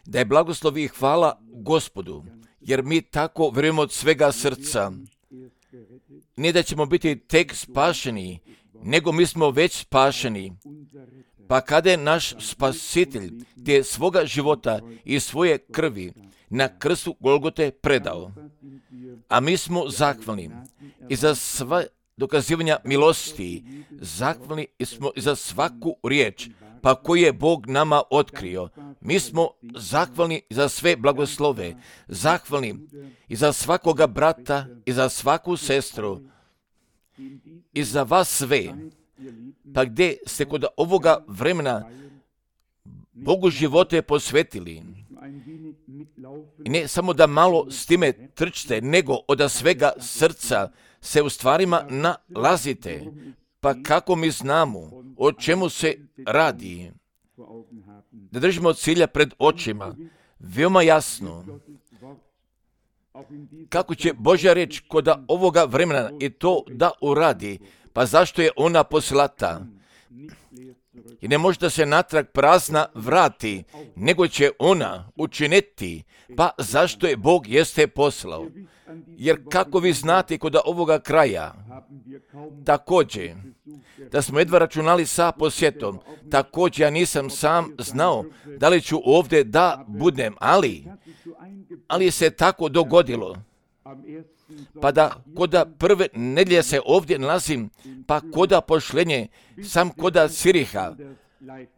Da je blagoslov i hvala Gospodu, jer mi tako vjerujemo od svega srca. Ne da ćemo biti tek spašeni, nego mi smo već spašeni. Pa kada je naš spasitelj te svoga života i svoje krvi na krstu Golgote predao, a mi smo zahvalni i za sva dokazivanja milosti, zahvalni smo i za svaku riječ, pa koju je Bog nama otkrio. Mi smo zahvalni za sve blagoslove, zahvalni i za svakoga brata i za svaku sestru i za vas sve. Pa gdje ste kod ovoga vremena Bogu živote posvetili, i ne samo da malo s time trčite, nego od svega srca se u stvarima nalazite. Pa kako mi znamo o čemu se radi? Da držimo cilja pred očima, veoma jasno. Kako će Božja riječ kod ovoga vremena i to da uradi? Pa zašto je ona poslata? I ne može da se natrag prazna vrati, nego će ona učiniti. Pa zašto je Bog jeste poslao? Jer kako vi znate kod ovoga kraja, također, da smo jedva računali sa posjetom, također ja nisam sam znao da li ću ovdje da budem, ali se tako dogodilo. Pa da koda prve nedjelje se ovdje nalazim, pa koda pošlenje, sam koda Siriha,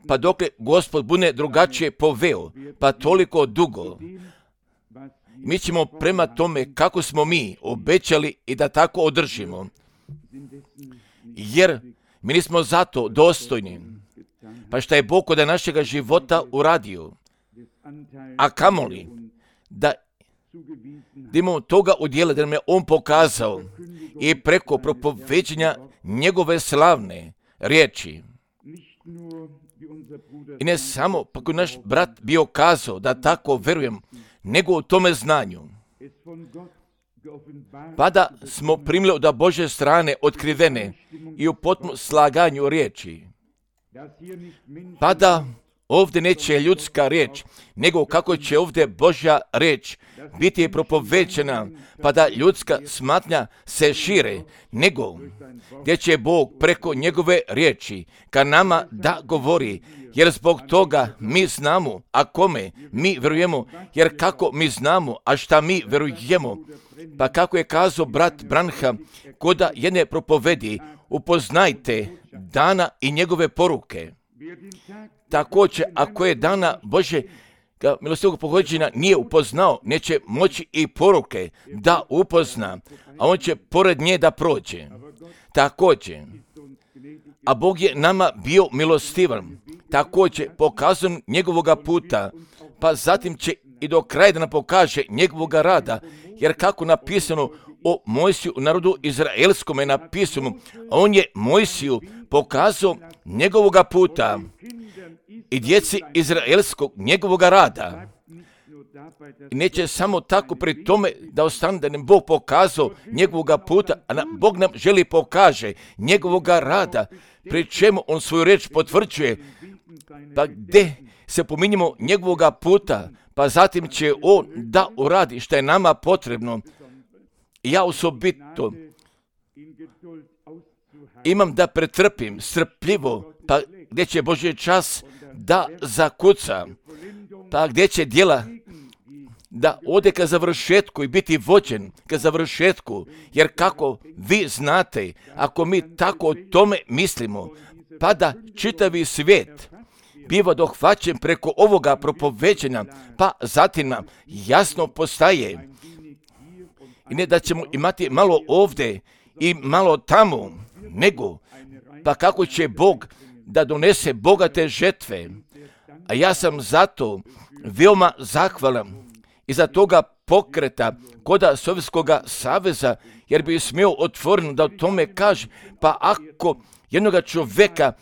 pa dokle Gospod bude drugačije poveo, pa toliko dugo. Mi ćemo prema tome kako smo mi obećali i da tako održimo. Jer mi nismo zato dostojni. Pa šta je Bog kod našega života uradio? A kamoli da imamo toga udjela, da nam je On pokazao i preko propoveđenja njegove slavne riječi. I ne samo pa koji naš brat bio kazao da tako verujem, nego u tome znanju. Pa da smo primili od Božje strane otkrivene i u potpunom slaganju riječi. Pa da ovdje neće ljudska riječ, nego kako će ovdje Božja riječ biti propovećena, pa da ljudska smatnja se šire, nego gdje će Bog preko njegove riječi ka nama da govori, jer zbog toga mi znamo, a kome mi verujemo, jer kako mi znamo, a šta mi verujemo. Pa kako je kazao brat Branham koda jedne propovedi, upoznajte dana i njegove poruke. Također, ako je dana Bože milostivog pohođenja nije upoznao, neće moći i poruke da upozna, a on će pored nje da prođe. Također, a Bog je nama bio milostivan, također pokazan njegovoga puta, pa zatim će i do kraja da nam pokaže njegovoga rada, jer kako napisano o Mojsiju u narodu izraelskom je napisano, on je Mojsiju pokazao njegovoga puta i djeci izraelskog njegovoga rada. I neće samo tako pri tome da ostane da nam Bog pokazao njegovoga puta, a Bog nam želi pokaže njegovoga rada, pri čemu on svoju riječ potvrđuje, pa gdje se pominjemo njegovoga puta, pa zatim će on da uradi što je nama potrebno. Ja osobito imam da pretrpim strpljivo, pa gdje će Božji čas da zakuca, pa gdje će djela da ode ka završetku i biti vođen ka završetku, jer kako vi znate, ako mi tako o tome mislimo, pa da čitavi svijet biva dohvaćen preko ovoga propoveđenja, pa zatim nam jasno postaje. I ne da ćemo imati malo ovdje i malo tamo, nego pa kako će Bog da donese bogate žetve. A ja sam zato veoma zahvalan iza toga pokreta koda Sovjetskog saveza, jer bi smio otvoreno da o tome kaže, pa ako jednoga čovjeka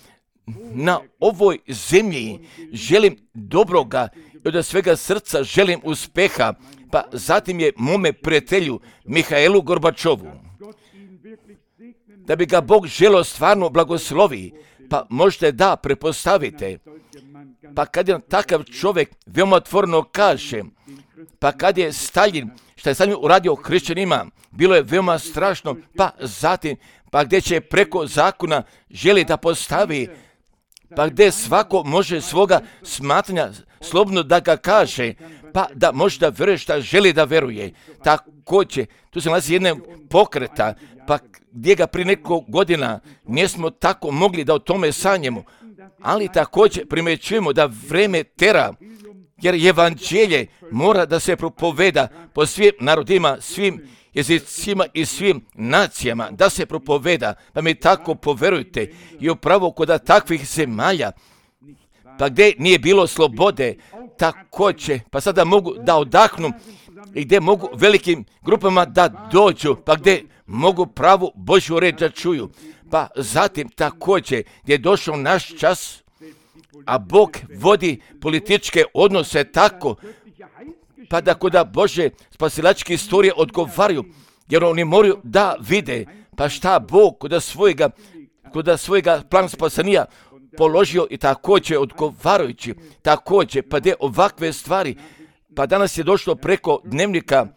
na ovoj zemlji želim dobroga i od svega srca želim uspeha, pa zatim je mome prijatelju Mihajlu Gorbačovu, da bi ga Bog želio stvarno blagoslovi, pa možete da prepostavite Pa kad je takav čovjek veoma otvoreno kaže, pa kad je Staljin, što je Staljin uradio hrišćanima, bilo je veoma strašno, pa zatim, pa gdje će preko zakona želi da postavi, pa gdje svako može svoga smatranja slobodno da ga kaže, pa da može da veruje šta želi da veruje. Također, tu se nalazi jedna pokreta, pa gdje ga prije nekoliko godina nismo tako mogli da o tome sanjemo, ali također primjećujemo da vreme tera, jer evanđelje mora da se propoveda po svim narodima, svim jezicima i svim nacijama, da se propoveda, pa mi tako poverujte i upravo kod takvih zemalja, pa gdje nije bilo slobode, također, pa sada mogu da odahnu i gdje mogu velikim grupama da dođu, pa gdje mogu pravu Božju reč da čuju. Pa zatim također gdje je došao naš čas, a Bog vodi političke odnose tako, pa da kod Bože spasilačke istorije odgovaraju, jer oni moraju da vide, pa šta Bog kod svojega plan spasenja položio i također odgovarajući, također, pa gdje ovakve stvari, pa danas je došlo preko dnevnika,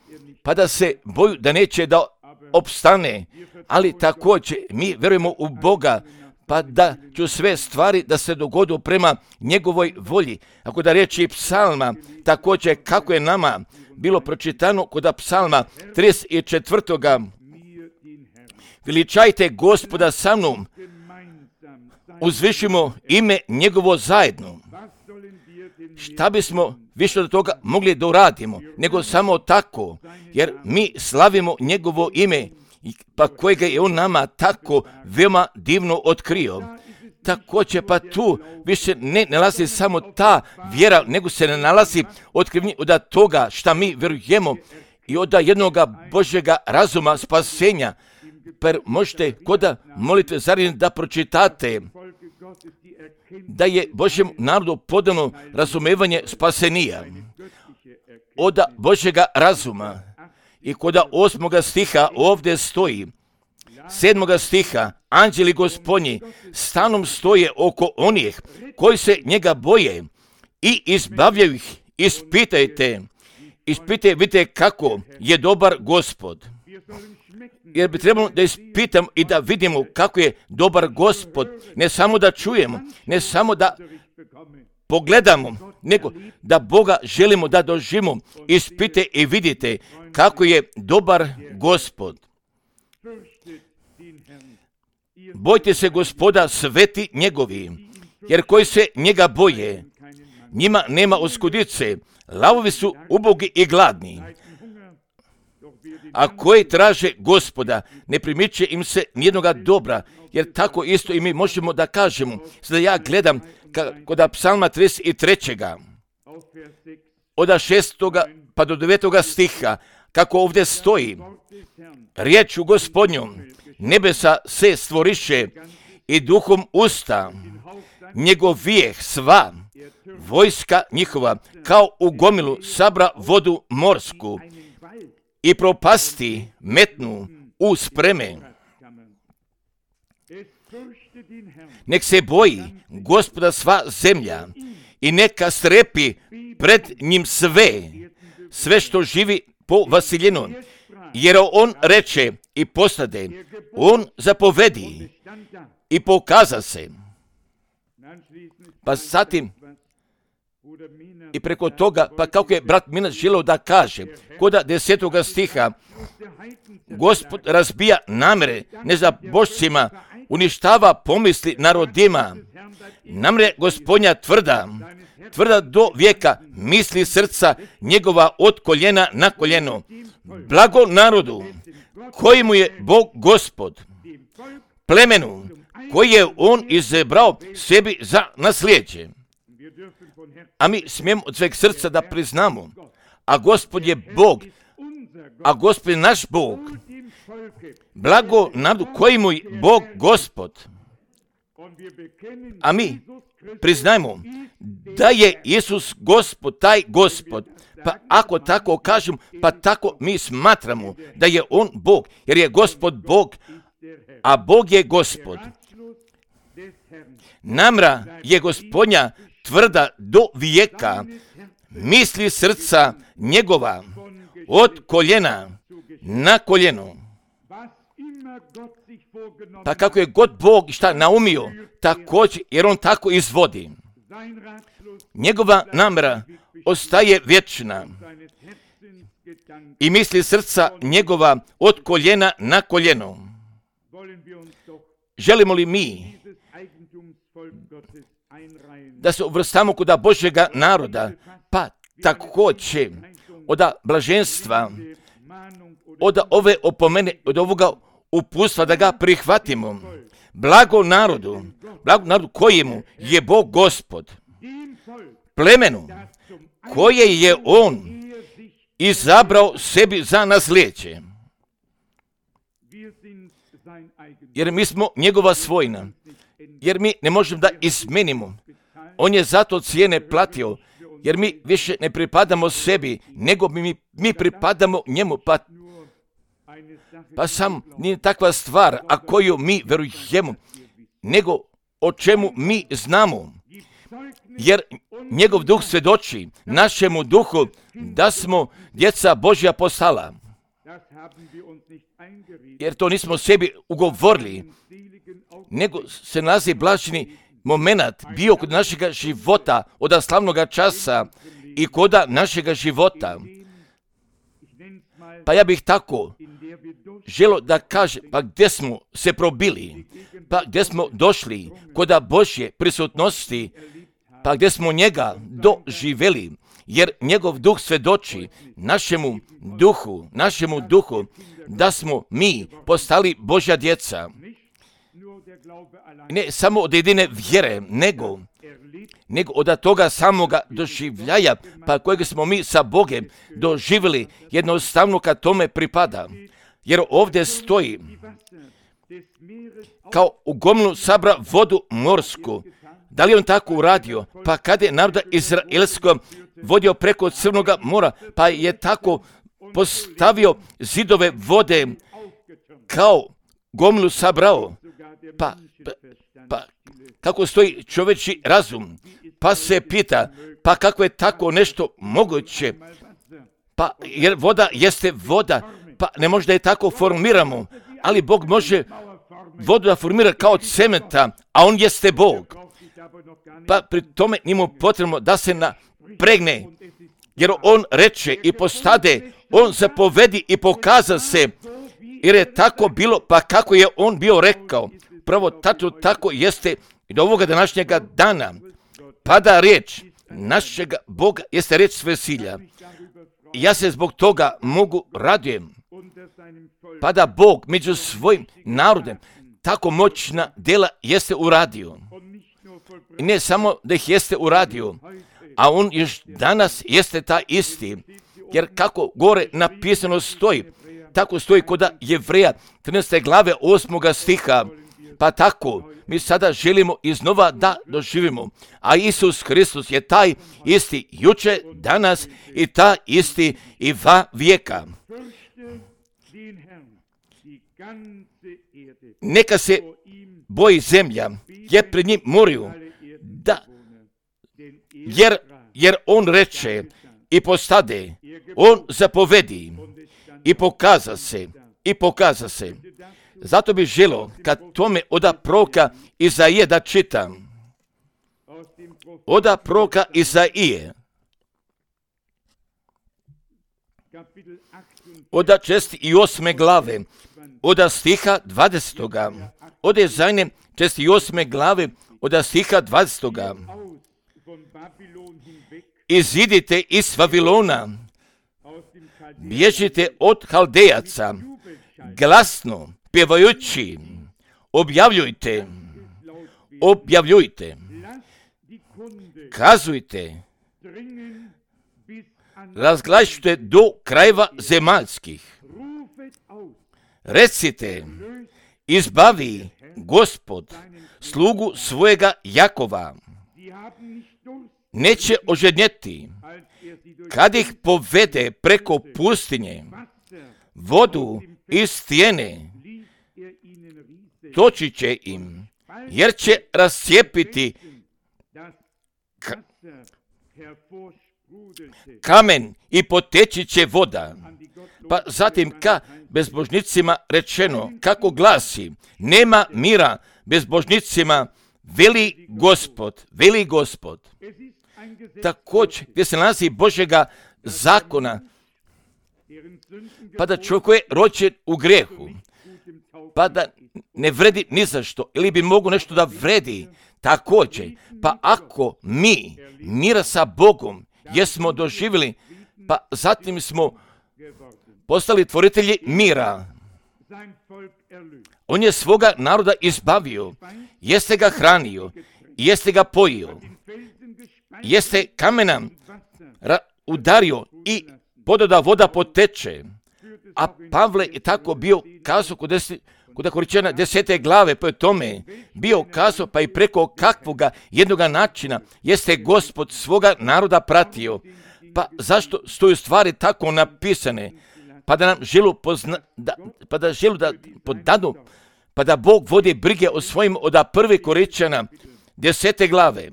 pa da se boju da neće da opstane, ali također mi verujemo u Boga, pa da ću sve stvari da se dogodu prema njegovoj volji. Ako da riječi psalma, također kako je nama bilo pročitano kod psalma 34. Veličajte Gospoda sa mnom, uzvišimo ime njegovo zajedno. Šta bismo više od toga mogli da uradimo, nego samo tako, jer mi slavimo njegovo ime, pa kojega je on nama tako veoma divno otkrio. Također pa tu više ne nalazi samo ta vjera, nego se ne nalazi otkrivnje od toga šta mi vjerujemo i od jednoga Božjega razuma spasenja. Pa možete kod molitve zaredno da pročitate da je Božjem narodu podano razumevanje spasenija od Božjega razuma. I kod 8. stiha ovdje stoji, 7. stiha, anđeli Gospodnji stanom stoje oko onih koji se njega boje i izbavljaju ih. Ispitajte, vidite kako je dobar Gospod. Jer bi trebalo da ispitam i da vidimo kako je dobar Gospod, ne samo da čujemo, ne samo da pogledamo, nego da Boga želimo da doživimo. Ispite i vidite kako je dobar Gospod. Bojte se Gospoda, sveti njegovi, jer koji se njega boje, njima nema oskudice, lavovi su ubogi i gladni. A koji traže Gospoda, ne primiče im se nijednoga dobra, jer tako isto i mi možemo da kažemo. Sada ja gledam kod psalma 33. od 6. pa do 9. stiha, kako ovdje stoji, riječu Gospodnjom nebesa se stvoriše i duhom usta njegov vijeh sva, vojska njihova kao u gomilu sabra vodu morsku i propasti metnu u spreme. Nek se boji Gospoda sva zemlja i neka strepi pred njim sve što živi po vasiljenu, jer on reče i postade, on zapovedi i pokaza se. Pa zatim i preko toga, pa kako je brat Minas želeo da kaže, kod 10. stiha, Gospod razbija namere nezabošcima, uništava pomisli narodima. Namre Gospodnja tvrda do vijeka, misli srca njegova od koljena na koljeno. Blago narodu koji mu je Bog Gospod, plemenu koji je on izabrao sebi za nasljeđe. A mi smijemo od sveg srca da priznamo, a Gospod je Bog, a Gospod je naš Bog. Blago narodu koji mu je Bog Gospod. A mi priznajmo da je Isus Gospod, taj Gospod. Pa ako tako kažem, pa tako mi smatramo da je on Bog, jer je Gospod Bog, a Bog je Gospod. Namra je Gospodnja tvrda do vijeka, misli srca njegova od koljena na koljeno. Pa kako je god Bog šta naumio, također, jer on tako izvodi. Njegova namjera ostaje vječna i misli srca njegova od koljena na koljeno. Želimo li mi da se uvrstamo kod Božjega naroda, pa također od blaženstva, od ove opomene, od ovoga uputstva da ga prihvatimo. Blago narodu kojemu je Bog Gospod, plemenu koje je on izabrao sebi za nasljeđe. Jer mi smo njegova svojina, jer mi ne možemo da izmenimo. On je zato cijene platio, jer mi više ne pripadamo sebi, nego mi pripadamo njemu. Pa sam nije takva stvar, a koju mi verujemo, nego o čemu mi znamo. Jer njegov duh svjedoči našemu duhu da smo djeca Božja postala. Jer to nismo sebi ugovorili, nego se nalazi blaženi moment bio kod našega života, od slavnoga časa i koda našega života. Pa ja bih tako želio da kažem, pa gdje smo se probili, pa gdje smo došli koda Božje prisutnosti, pa gdje smo njega doživjeli, jer njegov duh svjedoči našemu duhu, da smo mi postali Božja djeca. Ne samo od jedine vjere, nego od toga samoga doživljaja, pa kojeg smo mi sa Bogem doživjeli, jednostavno kad tome pripada. Jer ovdje stoji, kao u gomlu sabra vodu morsku. Da li on tako uradio? Pa kad je naroda izraelsko vodio preko Crnoga mora, pa je tako postavio zidove vode, kao gomlu sabrao. Pa kako stoji čovječji razum, pa se pita, pa kako je tako nešto moguće, pa jer voda jeste voda, pa ne može da je tako formiramo, ali Bog može vodu da formira kao cementa, a on jeste Bog. Pa pri tome nije mu potrebno da se napregne, jer on reče i postade, on zapovedi i pokaza se, jer je tako bilo, pa kako je on bio rekao. Pravo tako jeste i do ovoga današnjega dana. Pada riječ našega Boga, jeste riječ svesilja. Ja se zbog toga mogu radujem. Pada Bog među svojim narodem, tako moćna djela jeste uradio. I ne samo da ih jeste uradio, a on još danas jeste ta isti. Jer kako gore napisano stoji, tako stoji kod Jevreja 13. glave 8. stiha. Pa tako, mi sada želimo iznova da doživimo. A Isus Hristos je taj isti juče, danas i ta isti i va vijeka. Neka se boji zemlja, jer pred njim moraju, da, jer on reče i postade, on zapovedi i pokaza se. Zato bih želio kad tome od proroka Izaije da čitam. Od proroka Izaije. Od 48. glave, od stiha 20. Od Izajine 48. glave, od stiha 20. Izidite iz Vavilona, bježite od Haldejaca, glasno pjevajući, objavljujte, kazujte, razglašujte do krajeva zemaljskih. Recite, izbavi Gospod slugu svojega Jakova. Neće ožednjeti, kad ih povede preko pustinje, vodu iz stijene, toči će im, jer će rascijepiti kamen i poteći će voda. Pa zatim ka bezbožnicima rečeno, kako glasi, nema mira bezbožnicima, veli Gospod. Također, gdje se nalazi Božjega zakona, pa da čovjek je rođen u grijehu, pa da ne vredi ni za što, ili bi mogo nešto da vredi, također, pa ako mi mira sa Bogom jesmo doživjeli, pa zatim smo postali tvoritelji mira. On je svoga naroda izbavio, jeste ga hranio, jeste ga pojio, jeste kamena udario i pododa voda poteče. A Pavle je tako bio kazao kod Koričana 10. glave, pa je tome bio kazao, pa i preko kakvoga jednoga načina jeste Gospod svoga naroda pratio. Pa zašto stoju stvari tako napisane? Pa da nam želu da podadu, pa da Bog vodi brige o svojim od 1. Koričana 10. glave,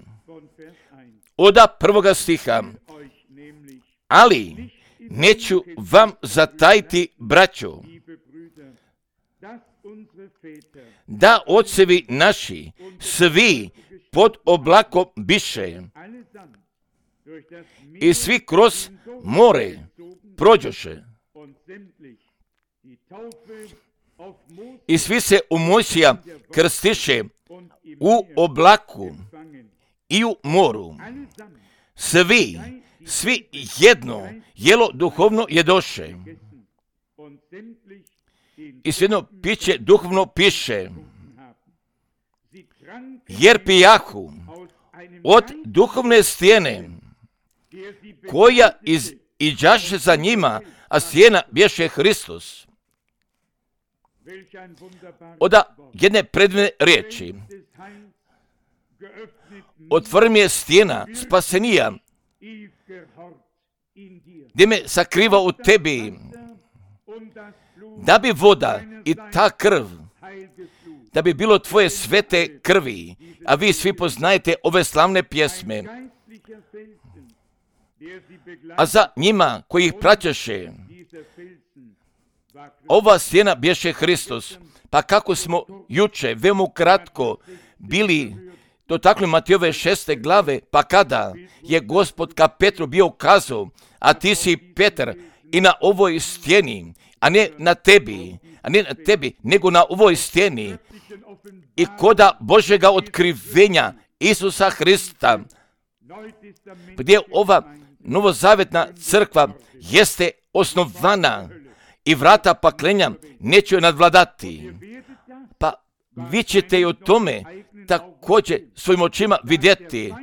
od 1. stiha. Ali neću vam zatajiti, braćo, da ocevi naši svi pod oblakom biše i svi kroz more prođoše i svi se u Mojsija krstiše u oblaku i u moru. Svi jedno jelo duhovno jedoše i svejedno piće duhovno piše, jer pijahu od duhovne stijene koja iđaše za njima, a stijena bješe Hristos. Od jedne predivne riječi, otvori mi je stijena spasenija, gdje me sakriva u tebi, da bi voda i ta krv, da bi bilo tvoje svete krvi, a vi svi poznajete ove slavne pjesme. A za njima koji ih praćaše, ova stijena bješe Hristos. Pa kako smo juče, veoma kratko, bili dotakli Matejove 6. glave, pa kada je Gospod ka Petru bio kazao, a ti si Petar i na ovoj stijeni, a ne na tebi, nego na ovoj stijeni, i koda Božjega otkrivenja Isusa Hrista, gdje ova novozavjetna crkva jeste osnovana i vrata paklenja neće joj nadvladati. Pa vi ćete i o tome također svojim očima vidjeti,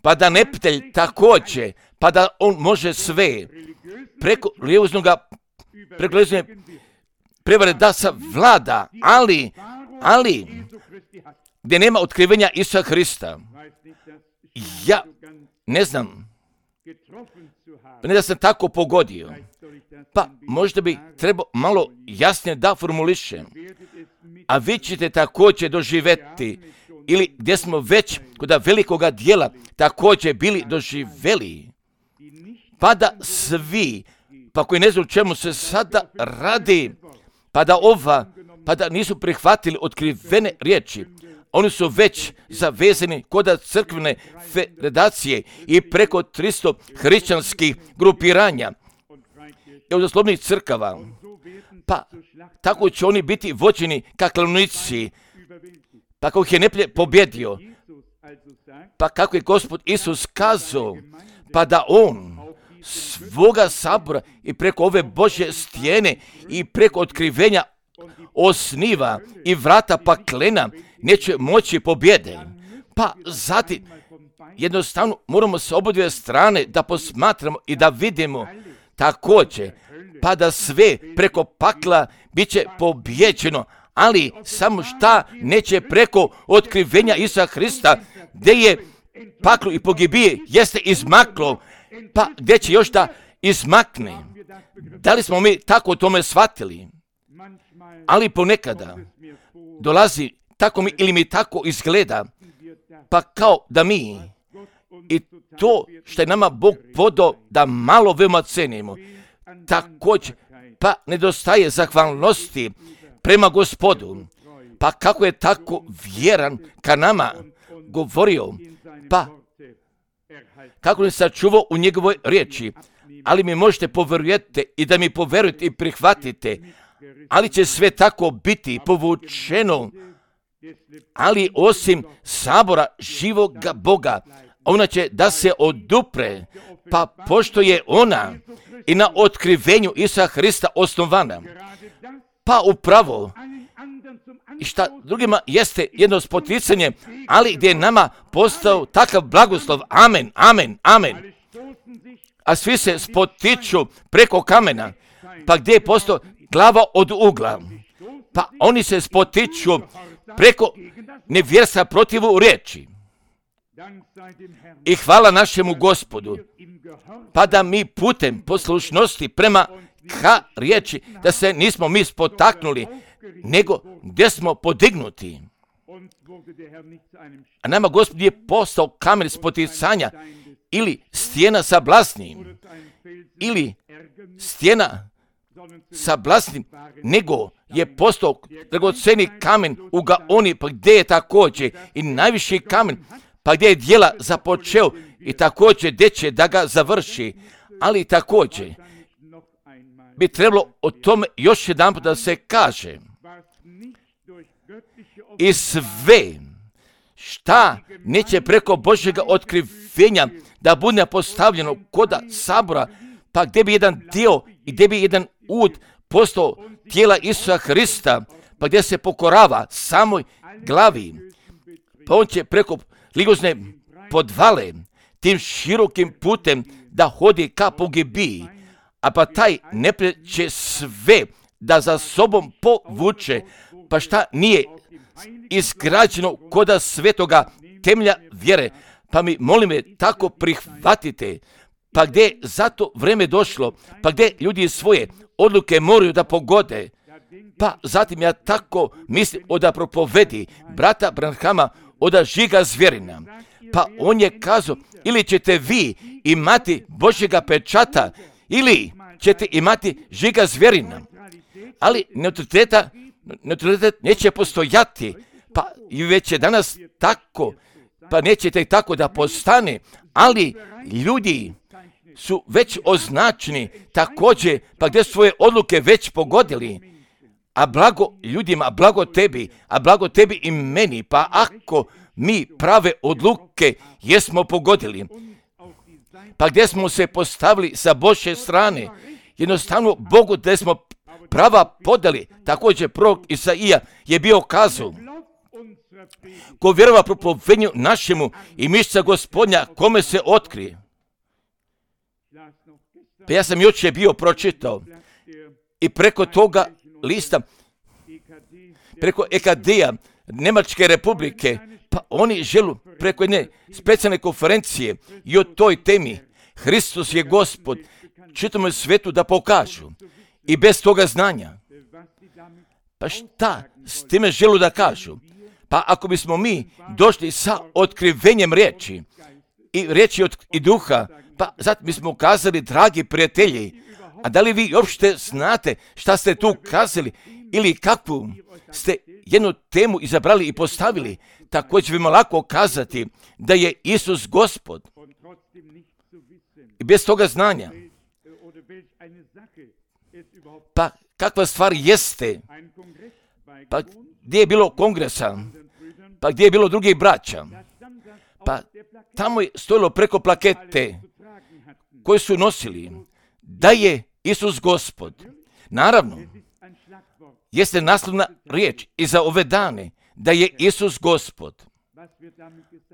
pa da nepitelj također, pa da on može sve preko religioznoga prevare da savlada, ali gdje nema otkrivenja Isusa Hrista. Ja ne znam, ne da sam tako pogodio, pa možda bi trebao malo jasnije da formulišem, a vi ćete također doživjeti, ili gdje smo već kod velikoga dijela također bili doživjeli, pa da svi, pa koji ne znaju čemu se sada radi, pa da nisu prihvatili otkrivene riječi, oni su već zavezani kod crkvene federacije i preko 300 hrišćanskih grupiranja i od oslovnih crkava. Pa tako će oni biti vođeni ka klaonici, pa kako ih je neprijatelj pobjedio, pa kako je Gospod Isus kazao, pa da on svoga sabora i preko ove Božje stijene i preko otkrivenja osniva i vrata paklena neće moći pobjede. Pa zatim jednostavno moramo s obodve strane da posmatramo i da vidimo također, pa da sve preko pakla bit će pobjeđeno, ali samo šta neće preko otkrivenja Isusa Hrista, gdje je paklo i pogibije jeste izmaklo, pa gdje će još da izmakne. Da li smo mi tako o tome shvatili? Ali ponekada dolazi tako mi ili mi tako izgleda, pa kao da mi i to što je nama Bog podao da malo veoma cenimo. Također, pa nedostaje zahvalnosti prema Gospodu. Pa kako je tako vjeran ka nama govorio, pa kako ne sačuvao u njegovoj riječi. Ali mi možete povjerujete i da mi poverujete i prihvatite, ali će sve tako biti povučeno. Ali osim sabora živoga Boga, ona će da se odupre, pa pošto je ona i na otkrivenju Isusa Hrista osnovana, pa upravo i šta drugima jeste jedno spoticanje, ali gdje je nama postao takav blagoslov. Amen, amen, amen. A svi se spotiču preko kamena, pa gdje je postao glava od ugla, pa oni se spotiču preko nevjerstva protivu riječi. I hvala našemu Gospodu, pa da mi putem poslušnosti prema ka riječi, da se nismo mi spotaknuli, nego gdje smo podignuti. A nama Gospod je postao kamen spoticanja, ili stijena sa blasnim, ili stijena sa blasnim, nego je postao dragoceni kamen u Gaoni, pa gdje je također i najviši kamen, pa gdje je djela započeo i također gdje će da ga završi. Ali također bi trebalo o tome još jedan put da se kaže. I sve šta neće preko Božjega otkrivenja da bude postavljeno koda sabora, pa gdje bi jedan dio i gdje bi jedan ud postao tijela Isusa Hrista, pa gdje se pokorava samoj glavi, pa on će preko ligozne podvale tim širokim putem da hodi ka pogibiji, a pa taj neprijatelj će sve da za sobom povuče, pa šta nije izgrađeno koda svetoga temelja vjere, pa mi molim me tako prihvatite, pa gdje je zato vreme došlo, pa gdje ljudi svoje odluke moraju da pogode, pa zatim ja tako mislim da propovedi brata Branhama od Žiga Zvjerina, pa on je kazao, ili ćete vi imati Božjega pečata, ili ćete imati Žiga Zvjerina, ali neutralitet neće postojati, pa i već je danas tako, pa nećete tako da postane, ali ljudi su već označeni također, pa gdje svoje odluke već pogodili, a blago ljudima, a blago tebi i meni, pa ako mi prave odluke jesmo pogodili, pa gdje smo se postavili sa Božje strane, jednostavno Bogu gdje smo prava podali, također prorok Isaija je bio kazao, ko vjerova propovednju našemu i mišca Gospodnja kome se otkrije. Pa ja sam jučer bio pročitao i preko toga lista, preko EKD-a, Njemačke republike, pa oni žele preko jedne specijalne konferencije i o toj temi Hristos je Gospod čitavom svijetu da pokažu i bez toga znanja. Pa šta s time želu da kažu? Pa ako bismo mi došli sa otkrivenjem riječi i riječi i duha, pa zatim bismo kazali, dragi prijatelji, a da li vi uopšte znate šta ste tu kazali ili kakvu ste jednu temu izabrali i postavili, također ćemo lako kazati da je Isus Gospod. I bez toga znanja. Pa kakva stvar jeste? Pa gdje je bilo kongresa? Pa gdje je bilo drugih braća? Pa tamo je stojilo preko plakete koje su nosili da je Isus Gospod. Naravno, jeste naslovna riječ i za ove dane da je Isus Gospod.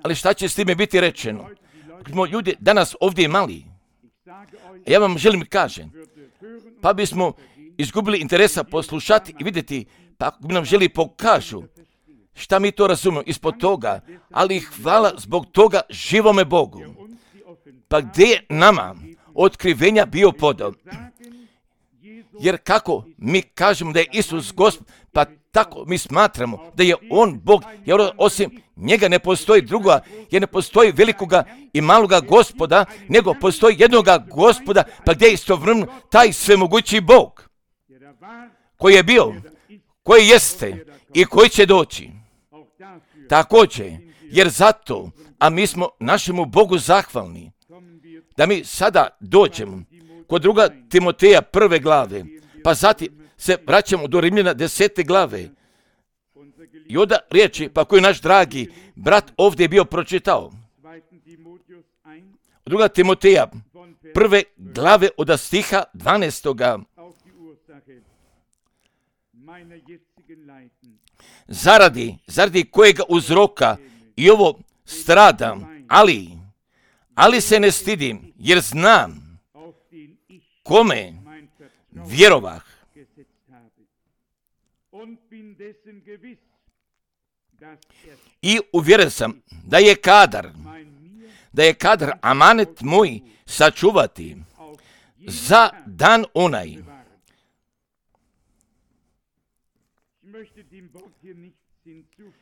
Ali šta će s time biti rečeno? Ako smo ljudi danas ovdje imali, ja vam želim kažem, pa bismo izgubili interesa poslušati i vidjeti, pa ako bi nam želi pokažu šta mi to razumemo ispod toga, ali hvala zbog toga živome Bogu. Pa gdje je nama otkrivenja bio podao? Jer kako mi kažemo da je Isus Gospod, Pa tako mi smatramo da je on Bog, jer osim njega ne postoji druga, jer ne postoji velikoga i maloga Gospoda, nego postoji jednoga Gospoda, pa gdje je istovremeno taj svemogući Bog, koji je bio, koji jeste i koji će doći. Također, jer zato, a mi smo našemu Bogu zahvalni, da mi sada dođemo kod 2. Timoteja 1. glave, pa zatim se vraćamo do Rimljana 10. glave. I onda riječi, pa koji naš dragi brat ovdje je bio pročitao. 2. Timoteja 1. glave od stiha 12. Zaradi kojega uzroka i ovo stradam, ali se ne stidim, jer znam kome vjerovah. I uvjeren sam da je kadar amanet moj sačuvati za dan onaj.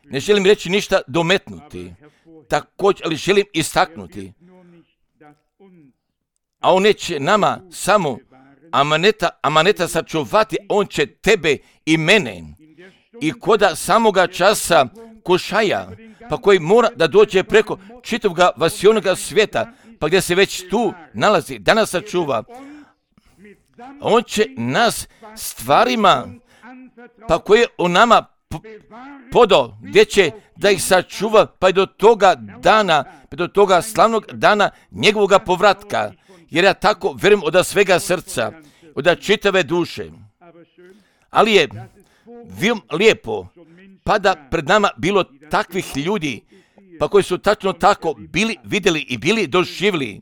Ne želim reći ništa dometnuti, također, ali želim istaknuti. A on neće nama samo amaneta sačuvati, on će tebe i mene i koda samoga časa kušaja, pa koji mora da dođe preko čitavog vasionoga svijeta, pa gdje se već tu nalazi, da nas sačuva. On će nas stvarima, pa koje on nama podao, gdje će da ih sačuva, pa i do toga dana, pa do toga slavnog dana njegovoga povratka. Jer ja tako vjerujem od svega srca, od čitave duše. Ali je lijepo, pa da pred nama bilo takvih ljudi, pa koji su tačno tako bili vidjeli i bili doživjeli.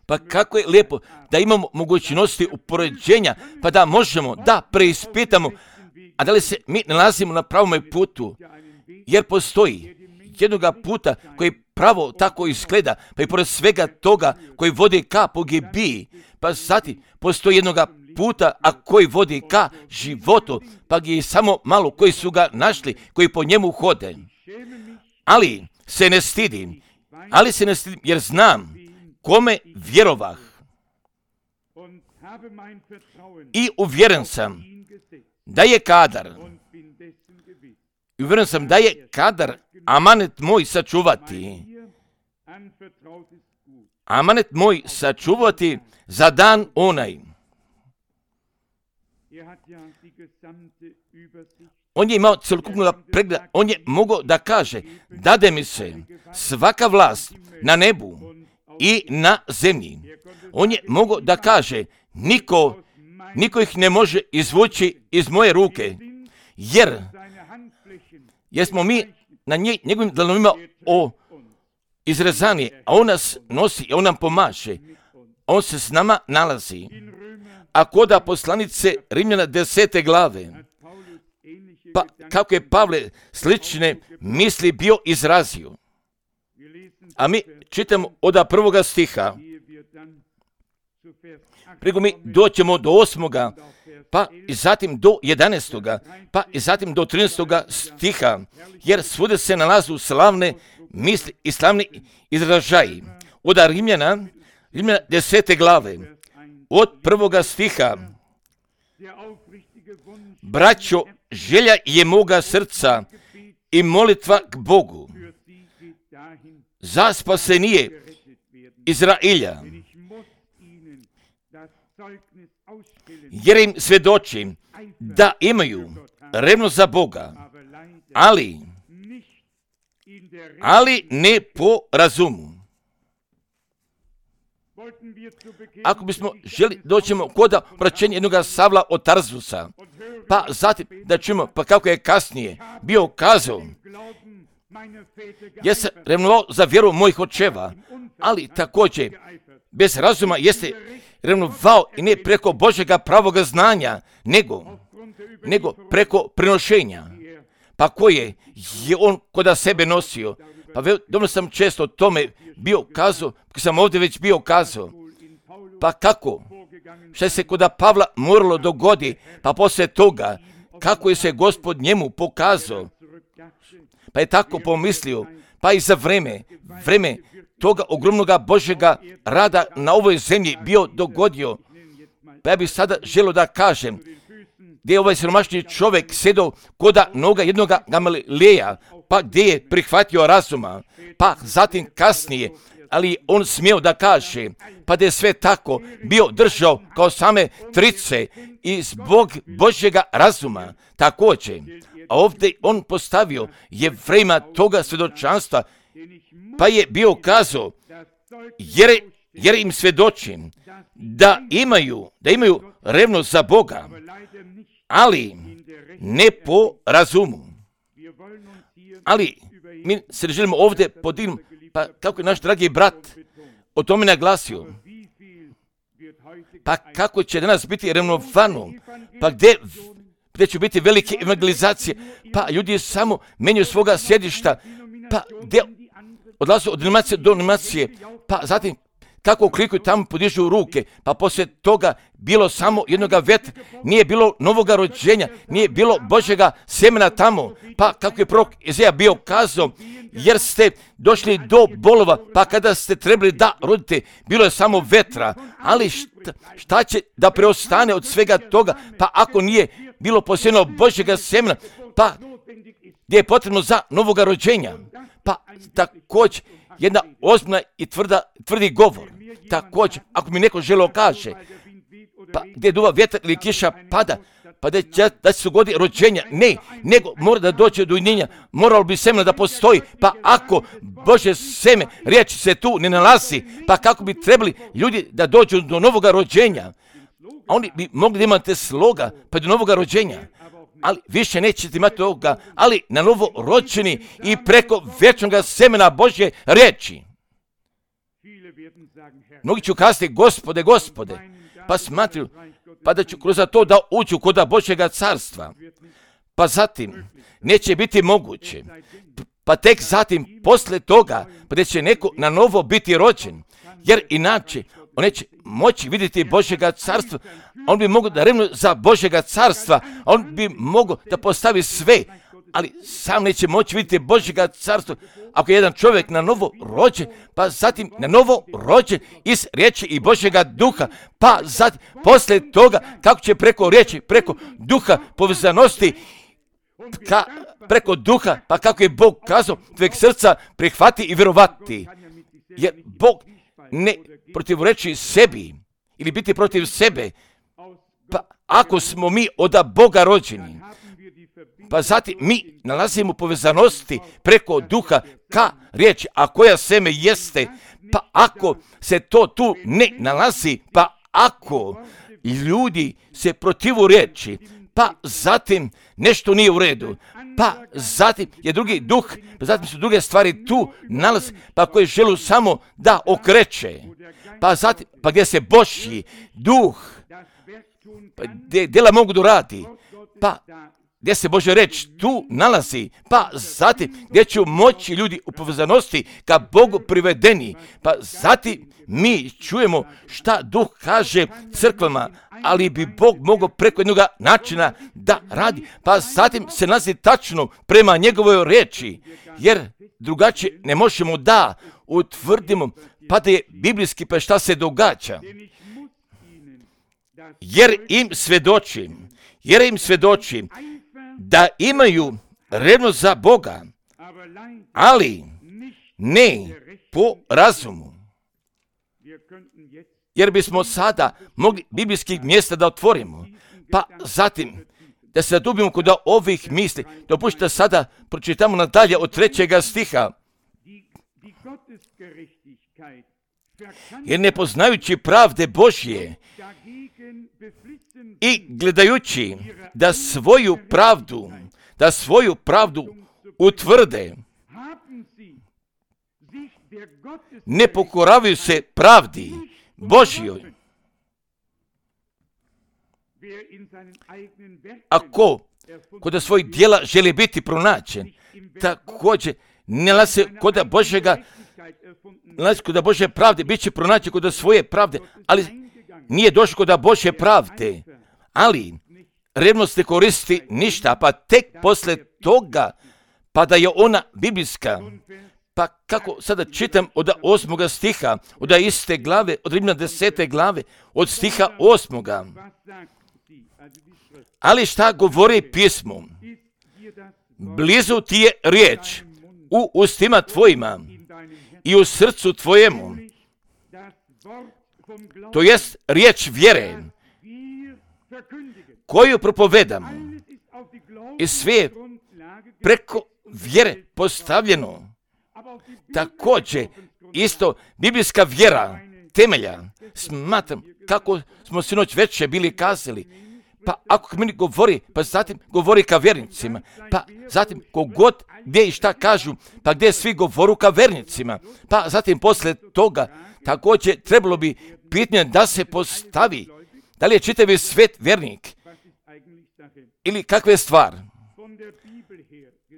Pa kako je lijepo da imamo mogućnosti upoređenja, pa da možemo da preispitamo, a da li se mi nalazimo na pravom putu, jer postoji jednoga puta koji pravo tako izgleda, pa i pored svega toga koji vodi ka pogibiji, pa zatim postoji jednoga puta, a koji vodi ka životu, pa je samo malo koji su ga našli, koji po njemu hode. Ali se ne stidim, jer znam kome vjerovah. I uvjeren sam da je kadar amanet moj sačuvati za dan onaj. On je imao celokupnog pregleda, on je mogao da kaže, dade mi se svaka vlast na nebu i na zemlji. On je mogao da kaže, niko ih ne može izvući iz moje ruke, jer smo mi na njegovim dlanovima izrezani, a on nas nosi, on nam pomaže, on se s nama nalazi. A koda poslanice Rimljana 10. glave, pa kako je Pavle slične misli bio izrazio. A mi čitamo od 1. stiha, preko mi doćemo do 8. pa i zatim do 11. pa i zatim do 13. stiha, jer svude se nalazu slavne misli i slavni izražaji. Od Rimljana 10. glave, od 1. stiha, braćo, želja je moga srca i molitva k Bogu za spasenije Izrailja, jer im svjedočim da imaju revnost za Boga, ali ne po razumu. Ako bismo želi doćemo kod obraćenja jednoga Savla od Tarzusa, pa zatim da čujemo pa kako je kasnije bio kazao, ja sam revnovao za vjeru mojih očeva, ali također bez razuma jeste revnovao i ne preko Božjega pravoga znanja, nego preko prenošenja, pa koje je on kod sebe nosio. Pa dobro sam često o tome bio kazao, kako sam ovdje već bio kazao. Pa kako? Što se kod Pavla moralo dogodi, pa poslije toga, kako je se Gospod njemu pokazao. Pa je tako pomislio, pa i za vreme toga ogromnoga Božjega rada na ovoj zemlji bio dogodio. Pa ja bih sada želio da kažem, gdje je ovaj siromašni čovjek sjedao koda noga jednoga Gamalileja, pa gdje je prihvatio razuma, pa zatim kasnije, ali on smio da kaže, pa da je sve tako bio držao kao same trice i zbog Božjega razuma također. A ovdje on postavio Jevrejima toga svjedočanstva, pa je bio kazao, jer im svjedočim da imaju revnost za Boga, ali ne po razumu. Ali mi se želimo ovdje podignuti, pa kako je naš dragi brat o tome naglasio, pa kako će danas biti revnovano, pa gdje će biti velike evangelizacije, pa ljudi samo menjaju svoga sjedišta, pa gdje odlaze od denominacije do denominacije, pa zatim kako klikuju tamo, podižu ruke, pa poslije toga bilo samo jednoga vetra, nije bilo novoga rođenja, nije bilo Božjega semena tamo, pa kako je prorok Izaja bio kazao, jer ste došli do bolova, pa kada ste trebali da rodite, bilo je samo vetra, ali šta će da preostane od svega toga, pa ako nije bilo posebno Božjega semena, pa gdje je potrebno za novoga rođenja, pa također jedna ozbiljna i tvrdi govor. Također, ako mi neko želeo kaže, pa gdje duva vjetar ili kiša pada, pa da se dogodi rođenja, ne, nego mora da dođe do ujedinjenja, moralo bi semena da postoji, pa ako Božje seme, riječ se tu ne nalazi, pa kako bi trebali ljudi da dođu do novoga rođenja, a oni bi mogli da imate sloga, pa do novoga rođenja, ali više nećete imati toga, ali na novo rođeni i preko vječnog semena Božje riječi. Mnogi ću kazati, Gospode, pa smatruju, pa da ću kroz to da uđu kod Božjega carstva. Pa zatim neće biti moguće. Pa tek zatim, posle toga, pa da će neko na novo biti rođen. Jer inače, on neće moći vidjeti Božjega carstva. On bi mogao da revnuje za Božjega carstva. On bi mogao da postavi sve. Ali sam neće moći vidjeti Božjega carstva ako je jedan čovjek na novo rođen, pa zatim na novo rođen iz riječi i Božjega duha, pa zatim poslije toga kako će preko riječi, preko duha povezanosti, preko duha, pa kako je Bog kazao, tvojeg srca prihvati i vjerovati. Jer Bog ne protivreči sebi ili biti protiv sebe, pa ako smo mi od Boga rođeni, pa zatim mi nalazimo povezanosti preko duha ka riječi, a koja seme jeste, pa ako se to tu ne nalazi, pa ako ljudi se protivu riječi, pa zatim nešto nije u redu, pa zatim je drugi duh, pa zatim su druge stvari tu nalaze, pa koje želu samo da okreće, pa zatim, pa gdje se Božji duh, pa gdje djela mogu da radi, pa gdje se Božja reč tu nalazi, pa zatim gdje će moći ljudi u povezanosti ka Bogu privedeni, pa zatim mi čujemo šta Duh kaže crkvama, ali bi Bog mogao preko jednog načina da radi, pa zatim se nalazi tačno prema njegovoj reči, jer drugačije ne možemo da utvrdimo, pa da je biblijski, pa šta se događa. Jer im svjedočim da imaju revnost za Boga, ali ne po razumu. Jer bismo sada mogli biblijskih mjesta da otvorimo, pa zatim da se zadubimo kod ovih misli. Dopustite sada pročitamo nadalje od 3. stiha. Jer ne poznajući pravde Božje i gledajući da svoju pravdu utvrde, ne pokoravaju se pravdi Božjoj. Ako kod svojih djela želi biti pronađen, također ne nalazi kod Božje pravde, bit će pronađen kod svoje pravde, ali nije došao kod Božje pravde. Ali revnost ne koristi ništa, pa tek posle toga, pa da je ona biblijska. Pa kako sada čitam od 8. stiha, od iste glave, od Rimljana 10. glave, od stiha 8. Ali šta govori pismo? Blizu ti je riječ u ustima tvojima i u srcu tvojemu. To jest riječ vjere koju propovedamo. I sve preko vjere postavljeno. Također, isto biblijska vjera temelja. Smatram kako smo sinoć večer bili kazali. Pa ako meni govori, pa zatim govori ka vjernicima. Pa zatim kogod gdje i šta kažu, pa gdje svi govoru ka vjernicima. Pa zatim posle toga također trebalo bi pitanje da se postavi. Da li je čitavi svet vjernik? Ili kakva je stvar?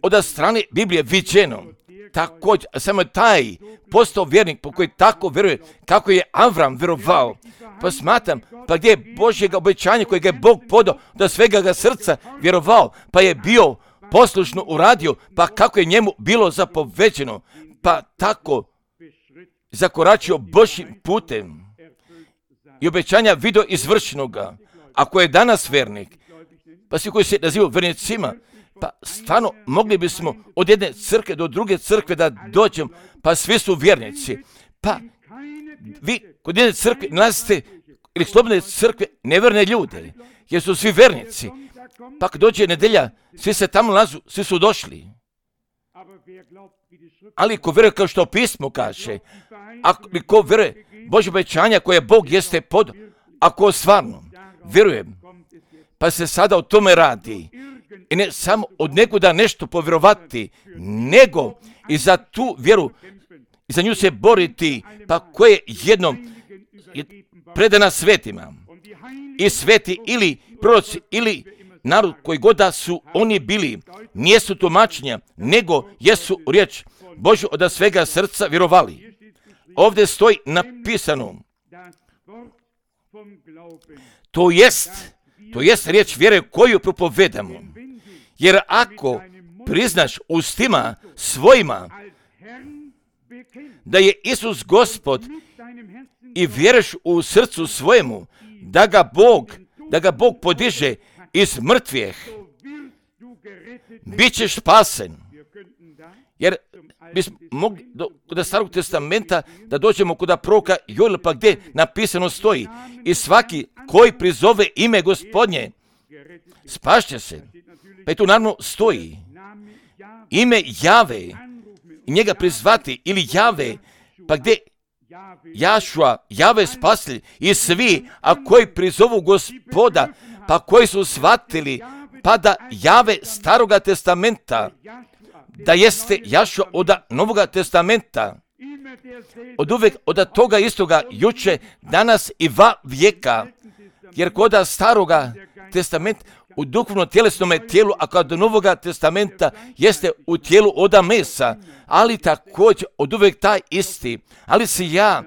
Od strane Biblije viđeno. Također, samo taj postao vjernik po koji tako vjeruje, kako je Avram vjerovao. Pa smatram, pa gdje je Božjega obećanja kojeg je Bog podao da svega ga srca vjerovao, pa je bio poslušno uradio, pa kako je njemu bilo zapoveđeno, pa tako zakoračio Božjim putem i obećanja vidio izvršenoga. Ako je danas vjernik, pa svi koji se nazivaju vjernicima, pa stvarno mogli bismo od jedne crkve do druge crkve da dođemo, pa svi su vjernici. Pa vi kod jedne crkve nalazite ili slobodne crkve nevjerne ljude, jer su svi vjernici. Pa kad dođe nedelja, svi se tamo nalazu, svi su došli. Ali ko vjeruje kao što pismo kaže, ko vjeruje Božje obećanja koje Bog jeste pod, ako stvarno vjeruje, pa se sada o tome radi. I ne samo od nekuda nešto povjerovati, nego i za tu vjeru, i za nju se boriti, pa koje jednom je predana svetima. I sveti ili proroci ili narod koji god da su oni bili, nijesu tumačenja, nego jesu riječ Božju od svega srca vjerovali. Ovdje stoji napisano, to jest riječ vjere koju propovedamo. Jer ako priznaš ustima svojima da je Isus Gospod i vjeruješ u srcu svojemu da ga Bog podiže iz mrtvih, bit ćeš spasen. Jer bismo mogli kod Starog testamenta da dođemo kod proroka Joela, pa gdje napisano stoji i svaki koji prizove ime Gospodnje spašće se. Pa i tu naravno stoji ime Jave i njega prizvati ili Jave, pa gdje Jašua, Jave spasitelj i svi, a koji prizovu Gospoda, pa koji su shvatili, pa da Jave Staroga testamenta, da jeste Jašua od Novoga testamenta, od uvijek od toga istoga juče, danas i va vijeka, jer kod Staroga testamenta u duhovno tjelesnome tijelu, a kod Novoga testamenta jeste u tijelu oda mesa, ali također od uvijek taj isti. Ali se ja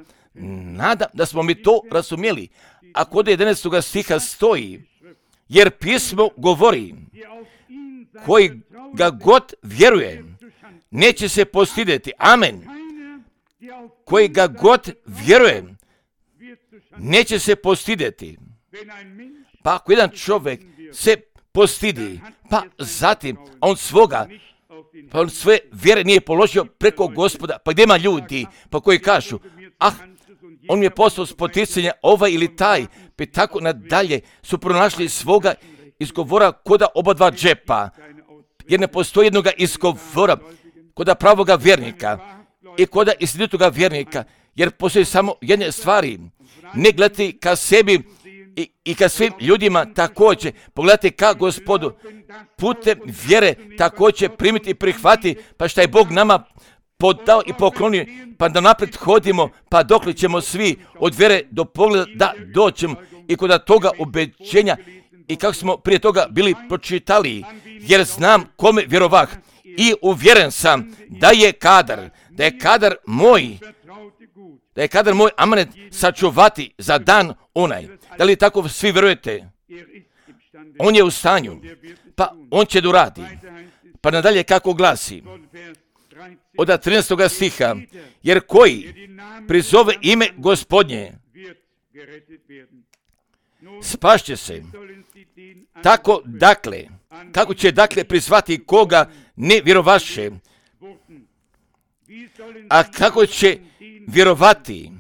nadam da smo mi to razumjeli. A kod 11. stiha stoji, jer pismo govori, koji ga god vjeruje, neće se postidjeti. Amen. Koji ga god vjeruje, neće se postidjeti. Pa ako jedan čovjek se postidi, pa zatim on svoje vjere nije položio preko Gospoda, pa gdje ima ljudi pa koji kažu, on mi je postao spoticanja ovaj ili taj, pa tako nadalje su pronašli svoga izgovora koda oba dva džepa, jer ne postoji jednoga izgovora koda pravoga vjernika i koda istinitoga vjernika, jer postoji samo jedne stvari, ne gledati ka sebi i ka svim ljudima također, pogledajte ka Gospodu, putem vjere također primiti i prihvati, pa šta je Bog nama podao i poklonio, pa da naprijed hodimo, pa dokle ćemo svi od vjere do pogleda da dođemo i kod toga obećenja i kako smo prije toga bili pročitali, jer znam kome vjerovah i uvjeren sam da je kadar moj amanet sačuvati za dan onaj. Da li tako svi vjerujete? on je u stanju, pa on će da uradi. Pa nadalje kako glasi, od 13. stiha, jer koji prizove ime Gospodnje, spašće se. Tako, dakle, kako će dakle prizvati koga ne vjerovaše, a kako će vjerovati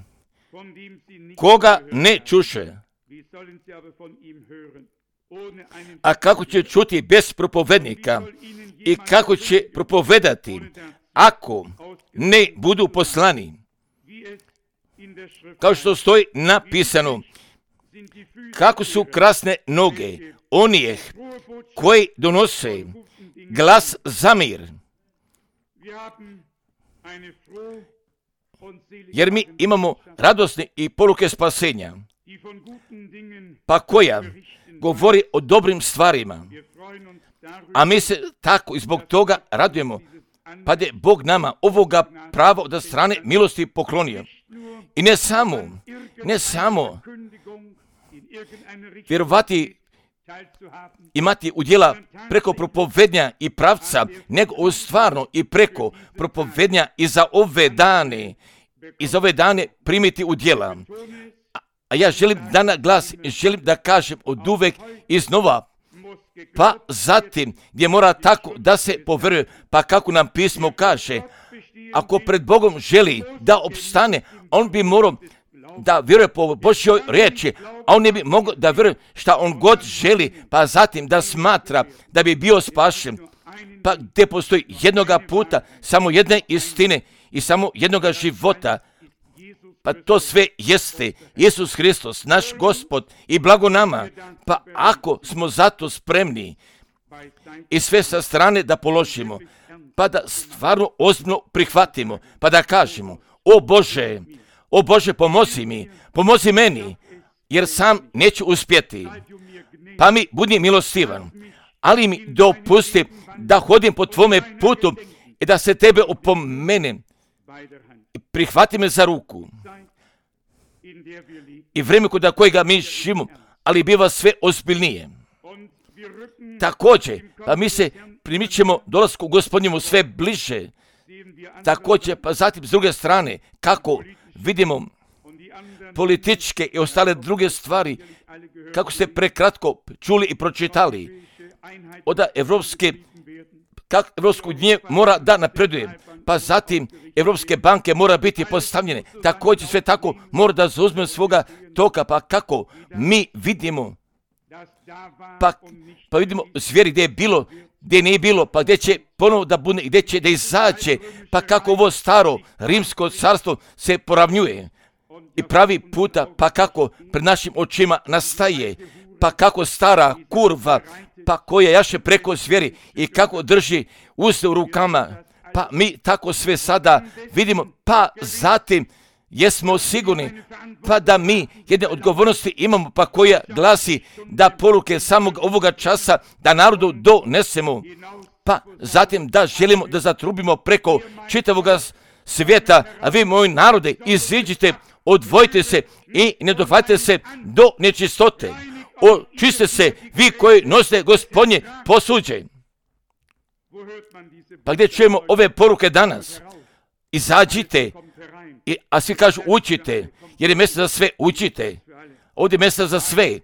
koga ne čuše, a kako će čuti bez propovednika i kako će propovedati ako ne budu poslani. Kao što stoji napisano, kako su krasne noge onih koji donose glas za mir. Jer mi imamo radosne i poruke spasenja, pa koja govori o dobrim stvarima, a mi se tako i zbog toga radujemo, pa da je Bog nama ovoga prava od strane milosti poklonio. I ne samo vjerovati, imati udjela preko propovednja i pravca, nego stvarno i preko propovednja i za ove dane primiti udjela. A ja želim da naglasim, želim da kažem od uvek iznova, pa zatim gdje mora tako da se poveruje, pa kako nam pismo kaže, ako pred Bogom želi da opstane, on bi morao da vjeruje po Božjoj riječi, a on ne bi mogao da vjeruje šta on god želi, pa zatim da smatra da bi bio spašen. Pa gdje postoji jednoga puta, samo jedne istine i samo jednoga života, pa to sve jeste Isus Hristos, naš Gospod i blago nama. Pa ako smo zato spremni i sve sa strane da položimo, pa da stvarno ozbiljno prihvatimo, pa da kažemo, o Bože, pomozi meni, jer sam neću uspjeti. Pa mi budi milostivan, ali mi dopusti da hodim po tvome putu i da se tebe opomenem. Prihvati me za ruku. I vrijeme kod kojega mi živimo, ali biva sve ozbiljnije. Također, pa mi se primičemo dolasku Gospodnjemu sve bliže. Također, pa zatim s druge strane, kako vidimo političke i ostale druge stvari, kako ste prekratko čuli i pročitali, od Evropsku uniju mora da napreduje, pa zatim Evropske banke mora biti postavljene, također sve tako mora da zauzme svoga toka, pa kako mi vidimo, pa vidimo zvijeri gdje je bilo, gdje nije bilo, pa gdje će ponovo da bude i gdje će da izađe, pa kako ovo staro rimsko carstvo se poravnjuje i pravi puta, pa kako pred našim očima nastaje, pa kako stara kurva, pa koja jaše preko zvijeri i kako drži uste u rukama, pa mi tako sve sada vidimo, pa zatim jesmo sigurni, pa da mi jedne odgovornosti imamo, pa koja glasi da poruke samog ovoga časa da narodu donesemo, pa zatim da želimo da zatrubimo preko čitavoga svijeta, a vi moji narode iziđite, odvojite se i ne dohvatite se do nečistote. Očiste se vi koji nosite Gospodnje posuđe. Pa gdje čujemo ove poruke danas? Izađite, a svi kažu učite, jer je mjesto za sve, učite. Ovdje je mjesto za sve.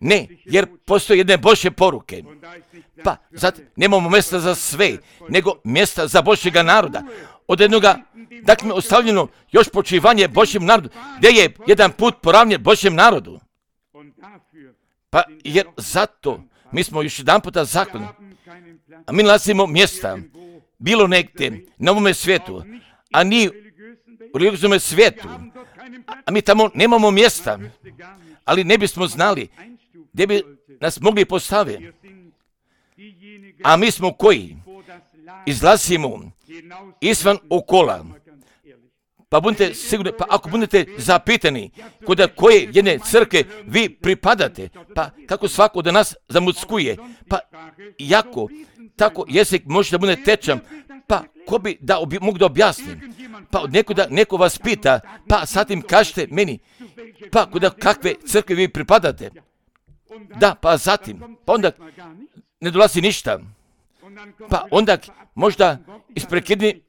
Ne, jer postoje jedne Božje poruke. Pa zato nemamo mjesta za sve, nego mjesta za Božjega naroda. Od jednoga, dakle, ostavljeno još počivanje Božjem narodu, gdje je jedan put poravnjen Božjem narodu. Pa jer zato mi smo još jedan puta zakoni, a mi nalazimo mjesta, bilo negdje na ovome svijetu, a ni u religijskom svijetu, a mi tamo nemamo mjesta, ali ne bismo znali gdje bi nas mogli postaviti. A mi smo koji izlazimo izvan okola, pa budete sigurni, pa ako budete zapitani kod koje jedne crkve vi pripadate, pa kako svako od nas zamuckuje, pa jako tako jezik može da bude tečan, pa ko bi da mogu da objasnim, pa od neko vas pita, pa sad im kažete meni, pa kod kakve crkve vi pripadate, Da, pa zatim, pa onda ne dolazi ništa. Pa onda možda isprekidni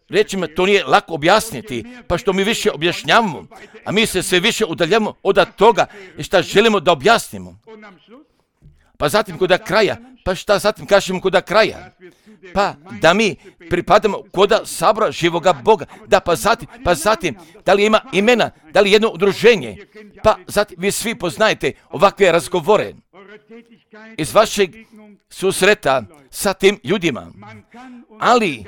rečima to nije lako objasniti, pa što mi više objašnjavamo, a mi se sve više udaljamo od toga što želimo da objasnimo. Pa zatim kod kraja, pa šta zatim kažemo kod kraja? Pa da mi pripadamo kod sabora živoga Boga. Da, pa zatim, da li ima imena, da li jedno udruženje? Pa zatim vi svi poznajete ovakve razgovore iz vašeg susreta sa tim ljudima. Ali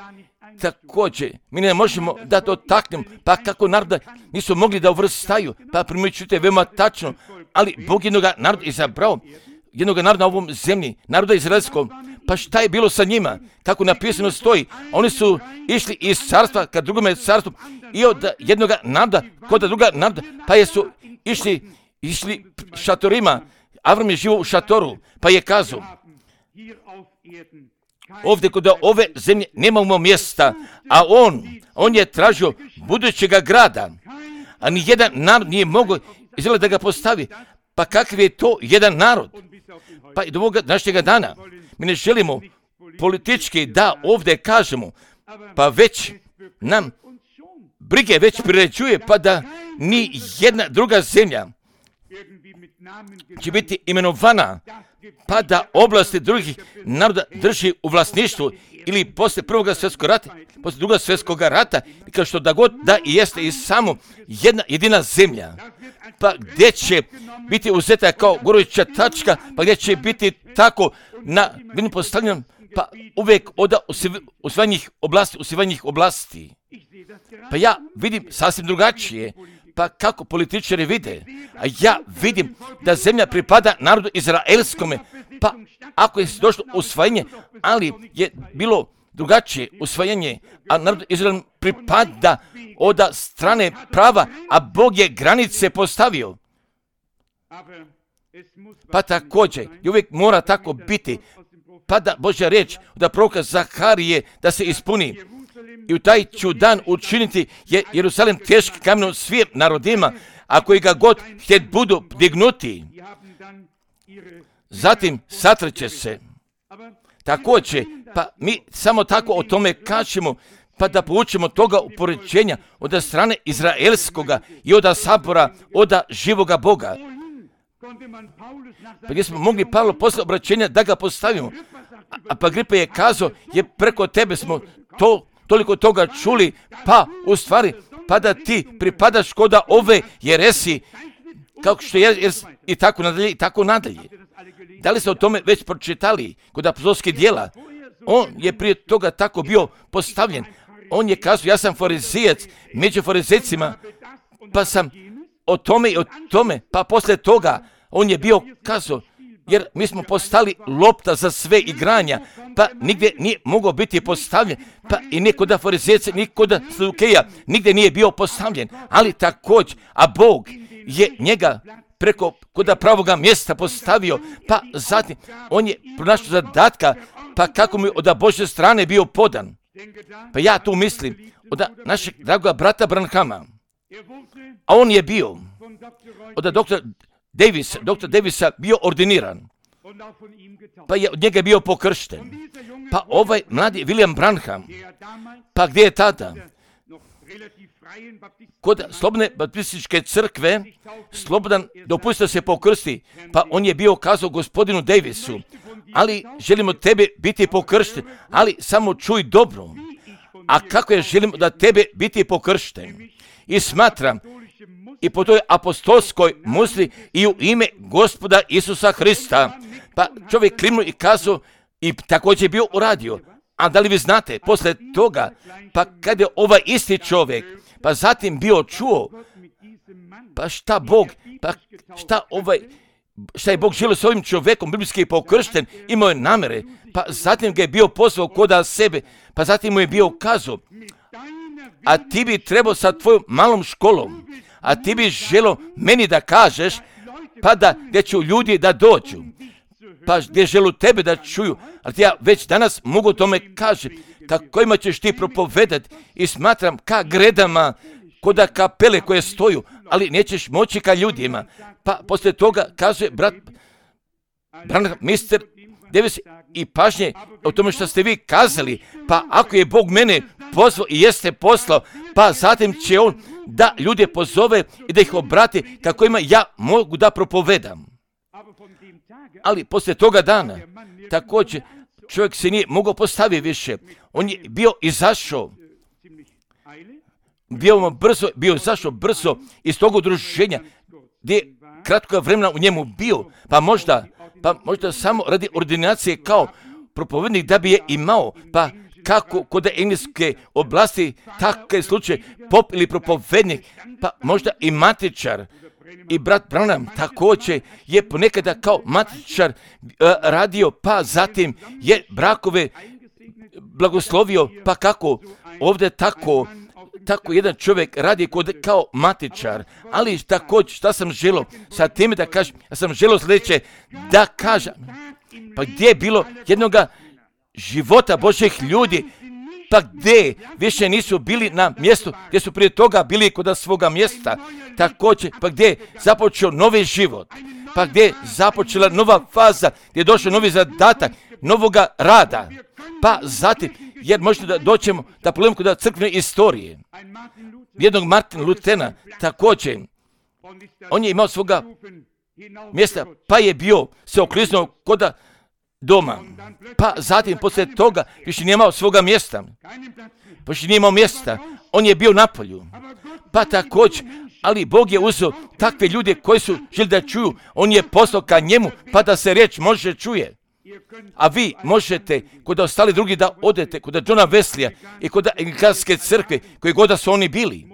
također, mi ne možemo da dotaknemo, pa kako naroda nisu mogli da uvrstaju, pa primjećujete veoma tačno, ali Bog jednoga naroda izabrao, jednoga naroda na ovom zemlji, naroda izraelskog, pa šta je bilo sa njima? Kako napisano stoji, oni su išli iz carstva ka drugome carstvu i od jednoga naroda kod druga naroda, pa jesu išli šatorima. Avram je živo u šatoru, pa je kazao, ovdje kod ove zemlje nemamo mjesta, a on je tražio budućega grada, a ni jedan narod nije mogao izgleda da ga postavi. Pa kakav je to jedan narod? Pa i do ovoga današnjega dana mi ne želimo politički da ovdje kažemo, pa već nam brige već priređuje, pa da ni jedna druga zemlja će biti imenovana, pa da oblasti drugih naroda drži u vlasništvu ili poslije prvog svjetskog rata, poslije drugog svjetskog rata, kao što da god da i jeste i samo jedna jedina zemlja, pa gdje će biti uzeta kao goruća tačka, pa gdje će biti tako na vidim postavljenom, pa uvijek od usvajanjih oblasti. Pa ja vidim sasvim drugačije. Pa kako političari vide, a ja vidim da zemlja pripada narodu izraelskome, pa ako je došlo usvajanje, ali je bilo drugačije usvajanje, a narod Izrael pripada od strane prava, a Bog je granice postavio. Pa također, i uvijek mora tako biti, pa da Božja riječ od proroka Zaharije da se ispuni. I u taj ću dan učiniti je Jerusalim teški kamenom svim narodima, a koji ga god htjet budu dignuti. Zatim satrće se. Također, pa mi samo tako o tome kažemo, pa da poučimo toga upoređenja od strane izraelskoga i od sabora, od živoga Boga. Pa gdje smo mogli Pavlo posle obraćenja da ga postavimo. A pa Agripa je kazao, je preko tebe smo toliko toga čuli, pa u stvari, pa da ti pripadaš kod ove jeresi, kao što je i tako nadalje, i tako nadalje. Da li ste o tome već pročitali kod apostolskih djela? On je prije toga tako bio postavljen. On je kazao, ja sam farizijac, među farizejcima, pa sam o tome i o tome, pa poslije toga on je bio kazao, jer mi smo postali lopta za sve igranja, pa nigdje nije mogao biti postavljen, pa i ni kod farizejaca, ni kod Sadukeja, nigdje nije bio postavljen, ali također, a Bog je njega preko kod pravoga mjesta postavio, pa zatim on je pronašao zadatka, pa kako mi od Božje strane bio podan. Pa ja tu mislim od našeg dragoga brata Branhama, a on je bio od doktora Davisa bio ordiniran, pa je od njega bio pokršten. Pa ovaj mladi William Branham, pa gdje je tada? Kod slobodne baptističke crkve, slobodan dopustio se pokrsti, pa on je bio kazao gospodinu Davisu, ali želimo tebe biti pokršten, ali samo čuj dobro. A kako je želimo da tebe biti pokršten? I smatram, i po toj apostolskoj musli i u ime Gospoda Isusa Hrista. Pa čovjek klimnuo i kazao i također je bio uradio. A da li vi znate, poslije toga, pa kad je ovaj isti čovjek, pa zatim bio čuo, pa šta je Bog želio s ovim čovjekom, biblijski pokršten, imao je namere, pa zatim ga je bio pozvao kod sebe, pa zatim mu je bio kazao, a ti bi trebao sa tvojom malom školom, a ti bi želio meni da kažeš, pa da gdje ću ljudi da dođu, pa gdje želu tebe da čuju, ali ja već danas mogu tome kaži, kojima ćeš ti propovedati i smatram ka gredama, kod kapele koje stoju, ali nećeš moći ka ljudima. Pa poslije toga kaže brat Branham, Mr. Davis, i pažnje o tome što ste vi kazali, pa ako je Bog mene pozvao i jeste poslao, pa zatim će on da ljude pozove i da ih obrati kako ima ja mogu da propovedam. Ali poslije toga dana, također, čovjek se nije mogao postaviti više. On je bio izašao, bio izašao brzo iz tog udruženja, gdje je kratko vremena u njemu bio, pa možda samo radi ordinacije kao propovednik da bi je imao, pa kako kod engleske oblasti takav slučaj pop ili propovednik, pa možda i matičar. I brat Branham također je ponekada kao matičar radio, pa zatim je brakove blagoslovio, pa kako ovdje tako jedan čovjek radi kao matičar. Ali također šta sam želio sa time da kažem, ja sam želio sljedeće da kažem, pa gdje je bilo jednoga života Božjih ljudi, pa gdje više nisu bili na mjestu gdje su prije toga bili kod svoga mjesta, također pa gdje je započeo novi život, pa gdje je započela nova faza, gdje je došao novi zadatak, novoga rada, pa zatim, jer možete da doćemo da pogledamo kod crkvene istorije, jednog Martina Lutera, također, on je imao svoga mjesta, pa je bio se okliznuo kod doma, pa zatim poslije toga više nije imao svoga mjesta, više nije imao mjesta, on je bio na polju, pa također, ali Bog je uzeo takve ljude koji su želi da čuju, on je poslao ka njemu, pa da se riječ može čuje. A vi možete kod ostali drugi da odete, kod Johna Weslija i kod Anglikanske crkve, koji god da su oni bili,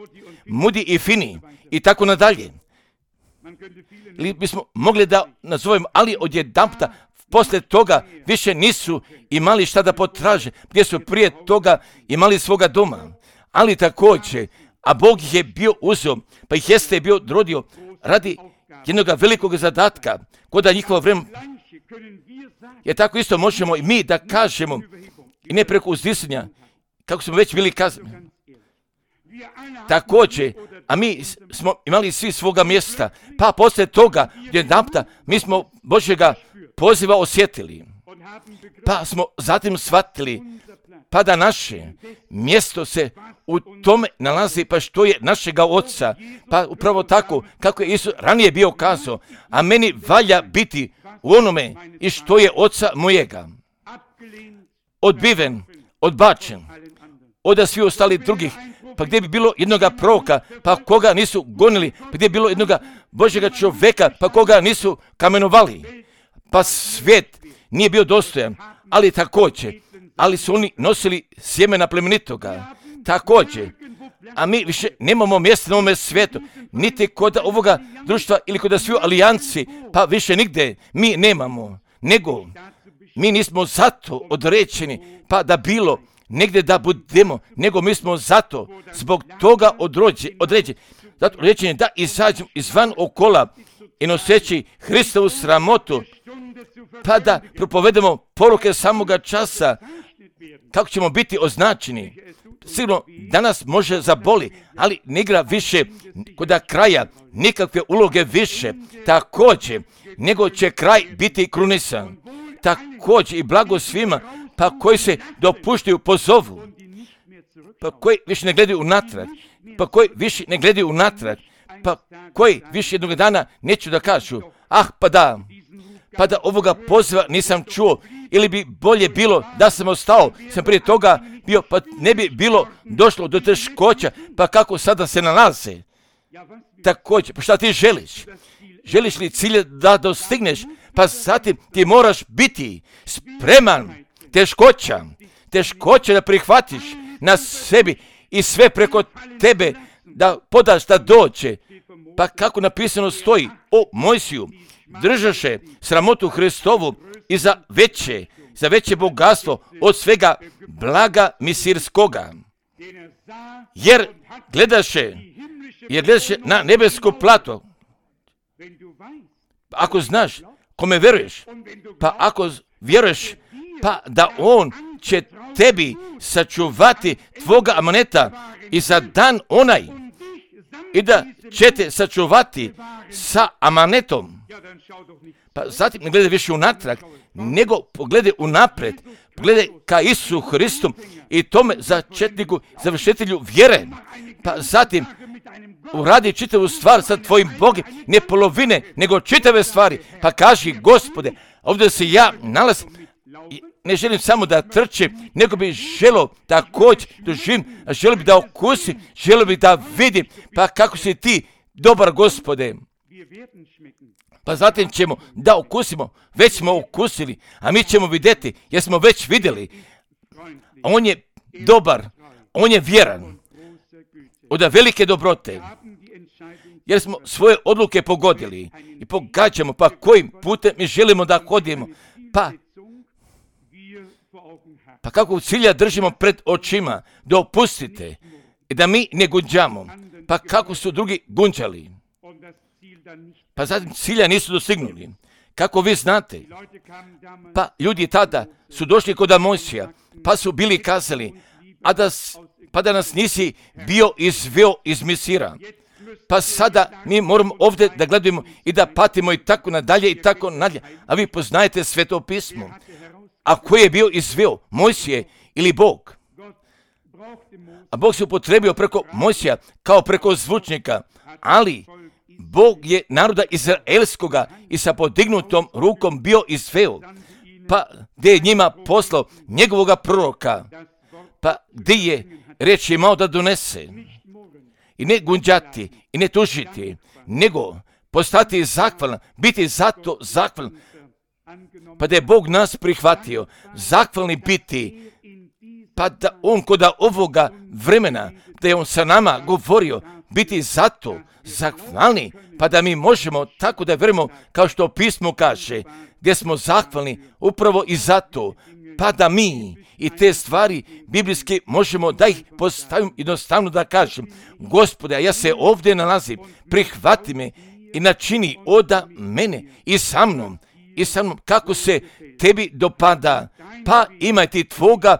Moody i Finney i tako nadalje. Ili bismo mogli da nazovemo, ali odjedanputa poslije toga više nisu imali šta da potraže, gdje su prije toga imali svoga doma. Ali također, a Bog ih je bio uzeo, pa ih jeste bio drodio radi jednog velikog zadatka, kod da njihovo vreme. Jer tako isto možemo i mi da kažemo, i ne preko uzdisanja, kako smo već bili kazani. Također, a mi smo imali svi svoga mjesta, pa poslije toga, jedanputa, mi smo Božjega poziva osjetili, pa smo zatim shvatili, pa da naše mjesto se u tome nalazi, pa što je našega Oca, pa upravo tako, kako je Isus ranije bio kazao, a meni valja biti u onome i što je Oca mojega, odbiven, odbačen, od svi ostali drugih, pa gdje bi bilo jednoga proroka, pa koga nisu gonili, pa gdje bi bilo jednoga Božjega čovjeka, pa koga nisu kamenovali, pa svijet nije bio dostojan, ali također, ali su oni nosili sjemena plemenitoga, također, a mi više nemamo mjesta na ovome svijetu, niti kod ovoga društva ili kod sviju alijanci, pa više nigdje mi nemamo, nego mi nismo zato određeni, pa da bilo negdje da budemo, nego mi smo zato, zbog toga određeni, zato određeni da izađemo izvan okola i noseći Hristovu sramotu, pa da propovedemo poruke samoga časa, kako ćemo biti označeni. Sigurno danas može zaboli, ali ne igra više kod kraja nikakve uloge više, također, nego će kraj biti krunisan. Također i blago svima, pa koji se dopuštaju pozovu, pa koji više ne gledaju unatrag, pa koji više jednog dana neću da kažu, pa da ovoga poziva nisam čuo, ili bi bolje bilo da sam ostao, sam prije toga bio, pa ne bi bilo došlo do teškoća, pa kako sada se nalaze. Također, pa šta ti želiš? Želiš li cilje da dostigneš, pa zatim ti moraš biti spreman, teškoća da prihvatiš na sebi i sve preko tebe da podaš da dođe. Pa kako napisano stoji o Mojsiju, držaše sramotu Hristovu i za veće bogatstvo od svega blaga misirskoga. Jer gledaše na nebesko plato. Ako znaš kome veruješ, pa ako vjeruješ, pa da on će tebi sačuvati tvoga amaneta i za dan onaj, i da će te sačuvati sa amanetom, Pa zatim ne gledaj više unatrag, nego pogledaj unapred, pogledaj ka Isusu Hristu i tome začetniku, završitelju vjere. Pa zatim uradi čitavu stvar sa tvojim Bogom, ne polovine, nego čitave stvari. Pa kaži, Gospode, ovdje se ja nalazim, ne želim samo da trčim, nego bih želio također doživim, želio bih da okusim, želio bih da vidim, pa kako si ti dobar, Gospode. Pa zatim ćemo da okusimo, već smo okusili, a mi ćemo vidjeti, jer smo već vidjeli. On je dobar, on je vjeran, od velike dobrote, jer smo svoje odluke pogodili i pogađamo, pa kojim putem mi želimo da hodimo, pa kako cilja držimo pred očima, da opustite i da mi ne gunđamo, pa kako su drugi gunđali, pa zatim cilja nisu dostignuli. Kako vi znate, pa ljudi tada su došli kod Mojsija, pa su bili kazali, pa da nas nisi bio izveo iz Misira. Pa sada mi moramo ovdje da gledamo i da patimo i tako nadalje i tako nadalje. A vi poznajete Sveto pismo. A ko je bio izveo? Mojsije ili Bog? A Bog se upotrebio preko Mojsija kao preko zvučnika, ali Bog je naroda izraelskoga i sa podignutom rukom bio izveo, pa gdje je njima poslao njegovoga proroka, pa gdje je riječ imao da donese. I ne gunđati i ne tužiti, nego postati zahvalan, biti zato zahvalan, pa da je Bog nas prihvatio, zahvalni biti, pa da on kod ovoga vremena, da je on sa nama govorio, biti zato zahvalni, pa da mi možemo tako da vjerujemo kao što pismo kaže, gdje smo zahvalni upravo i zato, pa da mi i te stvari biblijske možemo da ih postavim jednostavno da kažem, Gospode, ja se ovdje nalazim, prihvati me i načini oda mene i sa mnom, kako se tebi dopada, pa imaj ti tvoga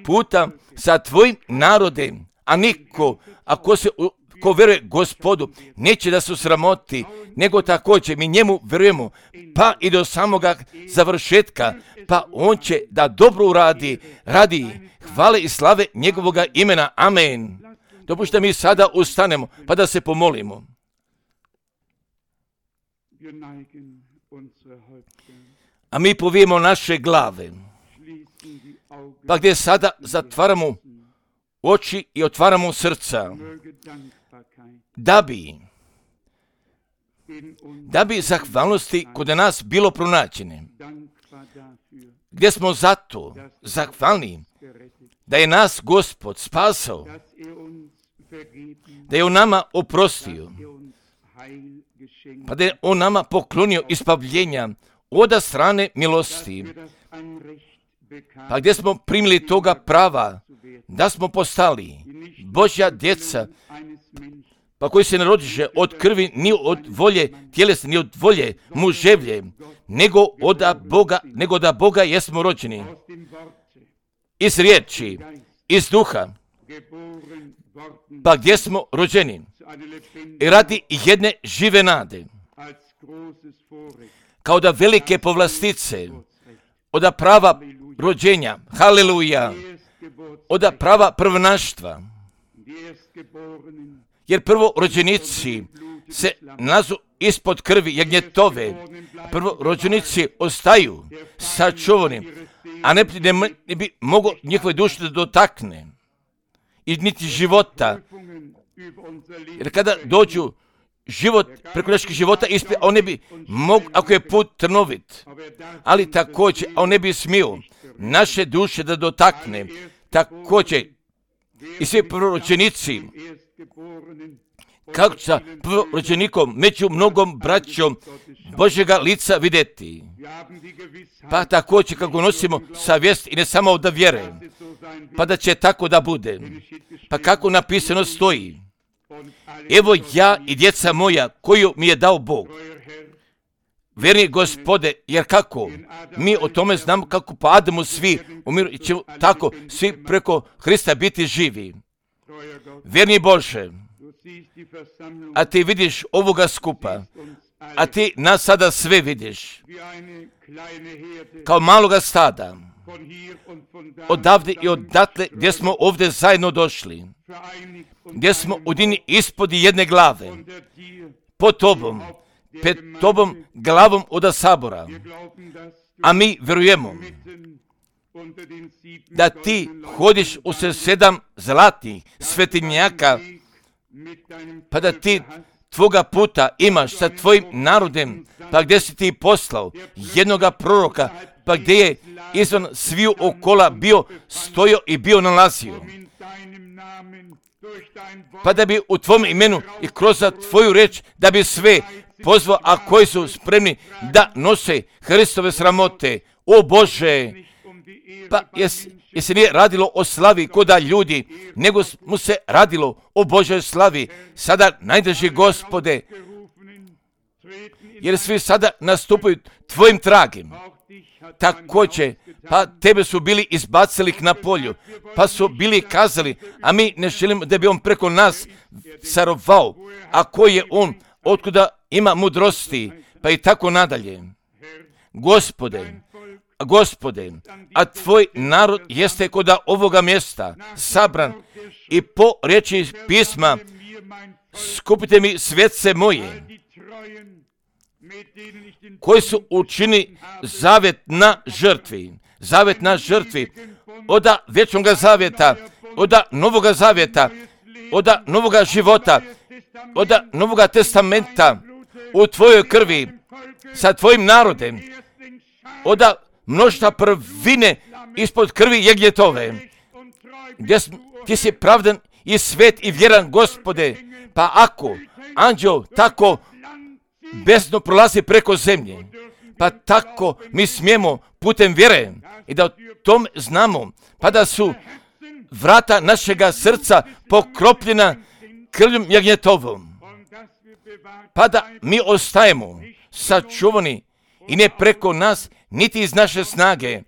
puta sa tvojim narodem, a niko, ko vjeruje Gospodu, neće da se sramoti, nego također mi njemu vjerujemo, pa i do samoga završetka, pa on će da dobro uradi, radi hvale i slave njegovoga imena. Amen. Dopušta mi sada ustanemo, pa da se pomolimo. A mi povijemo naše glave, pa gdje sada zatvaramo oči i otvaramo srca, da bi zahvalnosti kod nas bilo pronađene, gdje smo zato zahvalni da je nas Gospod spasao, da je on nama oprostio, pa da je on nama poklonio ispavljenja od strane milosti, pa gdje smo primili toga prava da smo postali Božja djeca, pa koji se ne rodiše od krvi, ni od volje tjelesne, ni od volje muževlje, nego da Boga jesmo rođeni iz riječi, iz duha, pa gdje smo rođeni i radi jedne žive nade, kao da velike povlastice, od prava rođenja, haleluja, od prava prvnaštva, jer prvo rođenici se nazu ispod krvi jagnjetove, prvo rođenici ostaju sačuvani, a ne bi mogo njihove duše da dotakne i niti života, jer kada dođu život, preko naših života ispred, on ne bi mogo, ako je put trnovit, ali također on ne bi smio naše duše da dotakne, također i svi prorođenici, kako sa prorođenikom među mnogom braćom Božjega lica vidjeti, pa također kako nosimo savjest i ne samo da vjere, pa da će tako da bude, pa kako napisano stoji, evo ja i djeca moja koju mi je dao Bog, vjerni Gospode, jer kako? Mi o tome znamo kako po Adamu svi umiru i ćemo tako svi preko Hrista biti živi. Vjerni Bože, a ti vidiš ovoga skupa, a ti nas sada sve vidiš, kao maloga stada, odavde i odatle gdje smo ovdje zajedno došli, gdje smo udini ispod jedne glave, pod tobom, pred tobom glavom od sabora, a mi vjerujemo da ti hodiš u 7 zlatnih svetinjaka, pa da ti tvoga puta imaš sa tvojim narodem, pa gdje si ti poslao jednoga proroka, pa gdje je izvan sviju okola bio stojio i bio nalazio, pa da bi u tvom imenu i kroz tvoju reč da bi sve pozvao, a koji su spremni da nose Hristove sramote. O Bože, pa jer se nije radilo o slavi koda ljudi, nego mu se radilo o Božoj slavi. Sada, najdraži Gospode, jer svi sada nastupaju tvojim tragem. Također, pa tebe su bili izbacili na polju, pa su bili kazali, a mi ne želimo da bi on preko nas carovao, a koji je on, otkuda ima mudrosti, pa i tako nadalje. Gospode, a tvoj narod jeste kod ovoga mjesta sabran i po riječi pisma, skupite mi svjetce moje, koji su učini zavet na žrtvi, od vječnoga zavjeta, od novoga zavjeta, od novoga života, od novoga testamenta u tvojoj krvi, sa tvojim narodem, od mnoštva prvine ispod krvi jagnjetove, gdje ti si pravdan i svet i vjeran, Gospode, pa ako anđeo tako besno prolazi preko zemlje, pa tako mi smijemo putem vjere i da o tom znamo, pa da su vrata našega srca pokropljena krvljom jagnjetovom, pa da mi ostajemo sačuvani i ne preko nas, niti iz naše snage,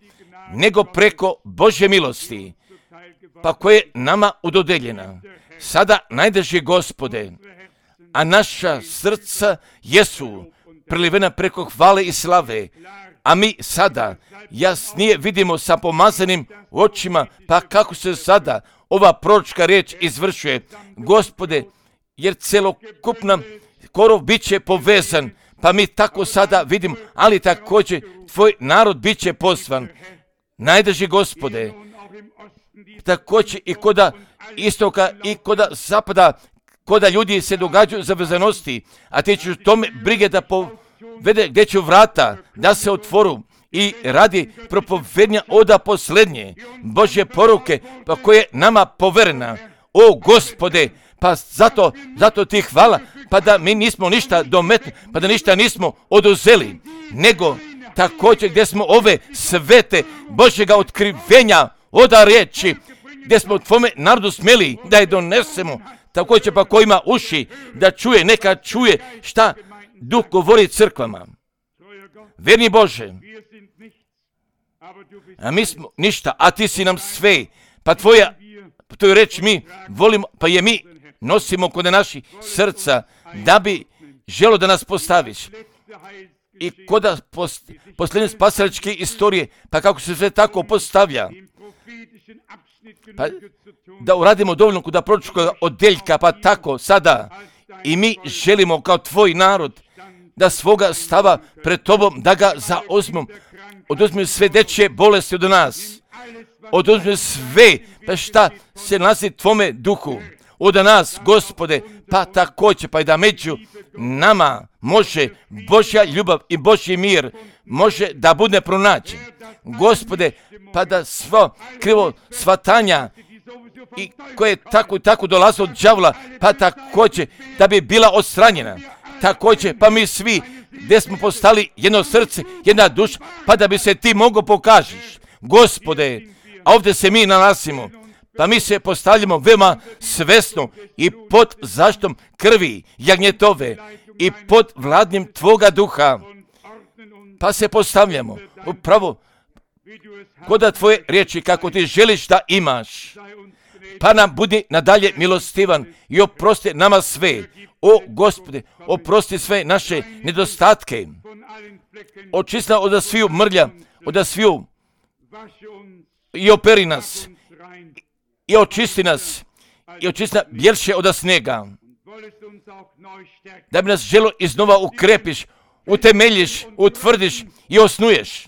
nego preko Božje milosti, pa koje je nama udodeljena. Sada, najdraži Gospode, a naša srca jesu prelivena preko hvale i slave, a mi sada jasnije vidimo sa pomazanim očima, pa kako se sada ova proročka riječ izvršuje, Gospode, jer celokupna korov bit će povezan, pa mi tako sada vidimo, ali također tvoj narod bit će poslan. Najdraži Gospode, također i koda istoka i koda zapada, koda ljudi se događaju za vezanosti, a ti ćeš tome brige da povede gdje će vrata, da se otvoru i radi propovednja oda posljednje Božje poruke, pa koje je nama poverena. O Gospode, pa zato ti hvala, pa da mi nismo ništa dometni, pa da ništa nismo oduzeli, nego također gdje smo ove svete Božjega otkrivenja oda riječi, gdje smo tvome narodu smjeli da je donesemo, također pa ko ima uši da čuje, neka čuje šta Duh govori crkvama. Vjerni Bože, a mi smo ništa, a ti si nam sve, pa tvoju reč mi volimo, pa je mi nosimo kod naših srca, da bi želo da nas postaviš. I kod posljednje spasilačke istorije, pa kako se sve tako postavlja, pa da uradimo dovoljno kod proročkog odjeljka, pa tako sada i mi želimo kao tvoj narod da svoga stava pred tobom, da ga zauzmemo, oduzmi sve dečje bolesti od nas, oduzmi sve, pa šta se nalazi tvome duhu od nas, Gospode, pa također, pa i da među nama može Božja ljubav i Božji mir može da bude pronađen. Gospode, pa da svo krivo shvatanja i koje tako dolaze od đavola, pa također da bi bila odstranjena. Također, pa mi svi gdje smo postali jedno srce, jedna duša, pa da bi se ti mogo pokažeš. Gospode, a ovdje se mi nalazimo, pa mi se postavljamo veoma svesno i pod zaštitom krvi jagnjetove i pod vladnjem tvoga duha, pa se postavljamo upravo koda tvoje riječi kako ti želiš da imaš. pa nam budi nadalje milostivan i oprosti nama sve. O Gospode, oprosti sve naše nedostatke. Očisti nas od sviju mrlja, od sviju i operi nas i očisti nas i očisti nas bjelše od snega. Da bi nas želo iznova ukrepiš, utemeljiš, utvrdiš i osnuješ.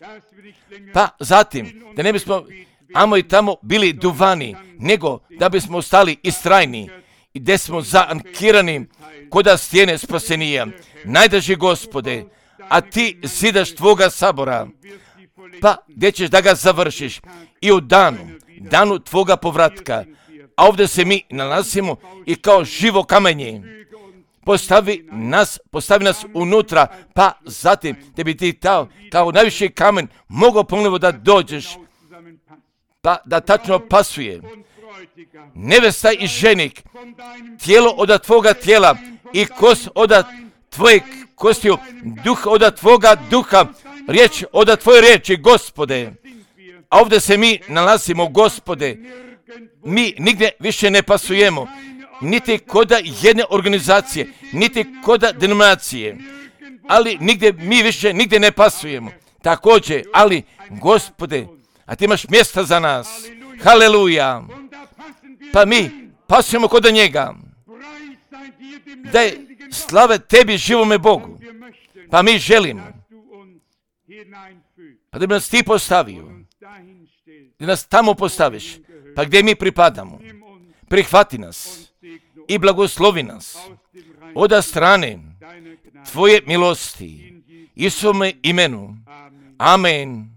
Pa zatim, da ne bismo amo i tamo bili duvani, nego da bismo ostali istrajni i gdje smo zaankirani koda stijene spasenija. Najdraži Gospode, a ti zidaš tvoga sabora, pa gdje ćeš da ga završiš i u danu tvoga povratka. A ovdje se mi nalazimo i kao živo kamenje. Postavi nas unutra, pa zatim da bi ti kao najviši kamen mogao ponovo da dođeš, pa da tačno pasuje. Nevesta i ženik, tijelo od tvoga tijela i kost od tvoje kostiju, duh od tvoga duha, riječ od tvoje riječi, Gospode. A ovdje se mi nalazimo, Gospode. Mi nigdje više ne pasujemo, niti koda jedne organizacije, niti koda denominacije, ali mi više nigdje ne pasujemo. Također, ali Gospode, a ti imaš mjesta za nas. Haleluja. Pa mi pasujemo koda njega. Da je slave tebi, živome Bogu. Pa mi želimo. Pa da bi nas ti postavio. Da nas tamo postaviš. Pa gdje mi pripadamo. Prihvati nas i blagoslovi nas od strane tvoje milosti. Isuse imenu. Amen.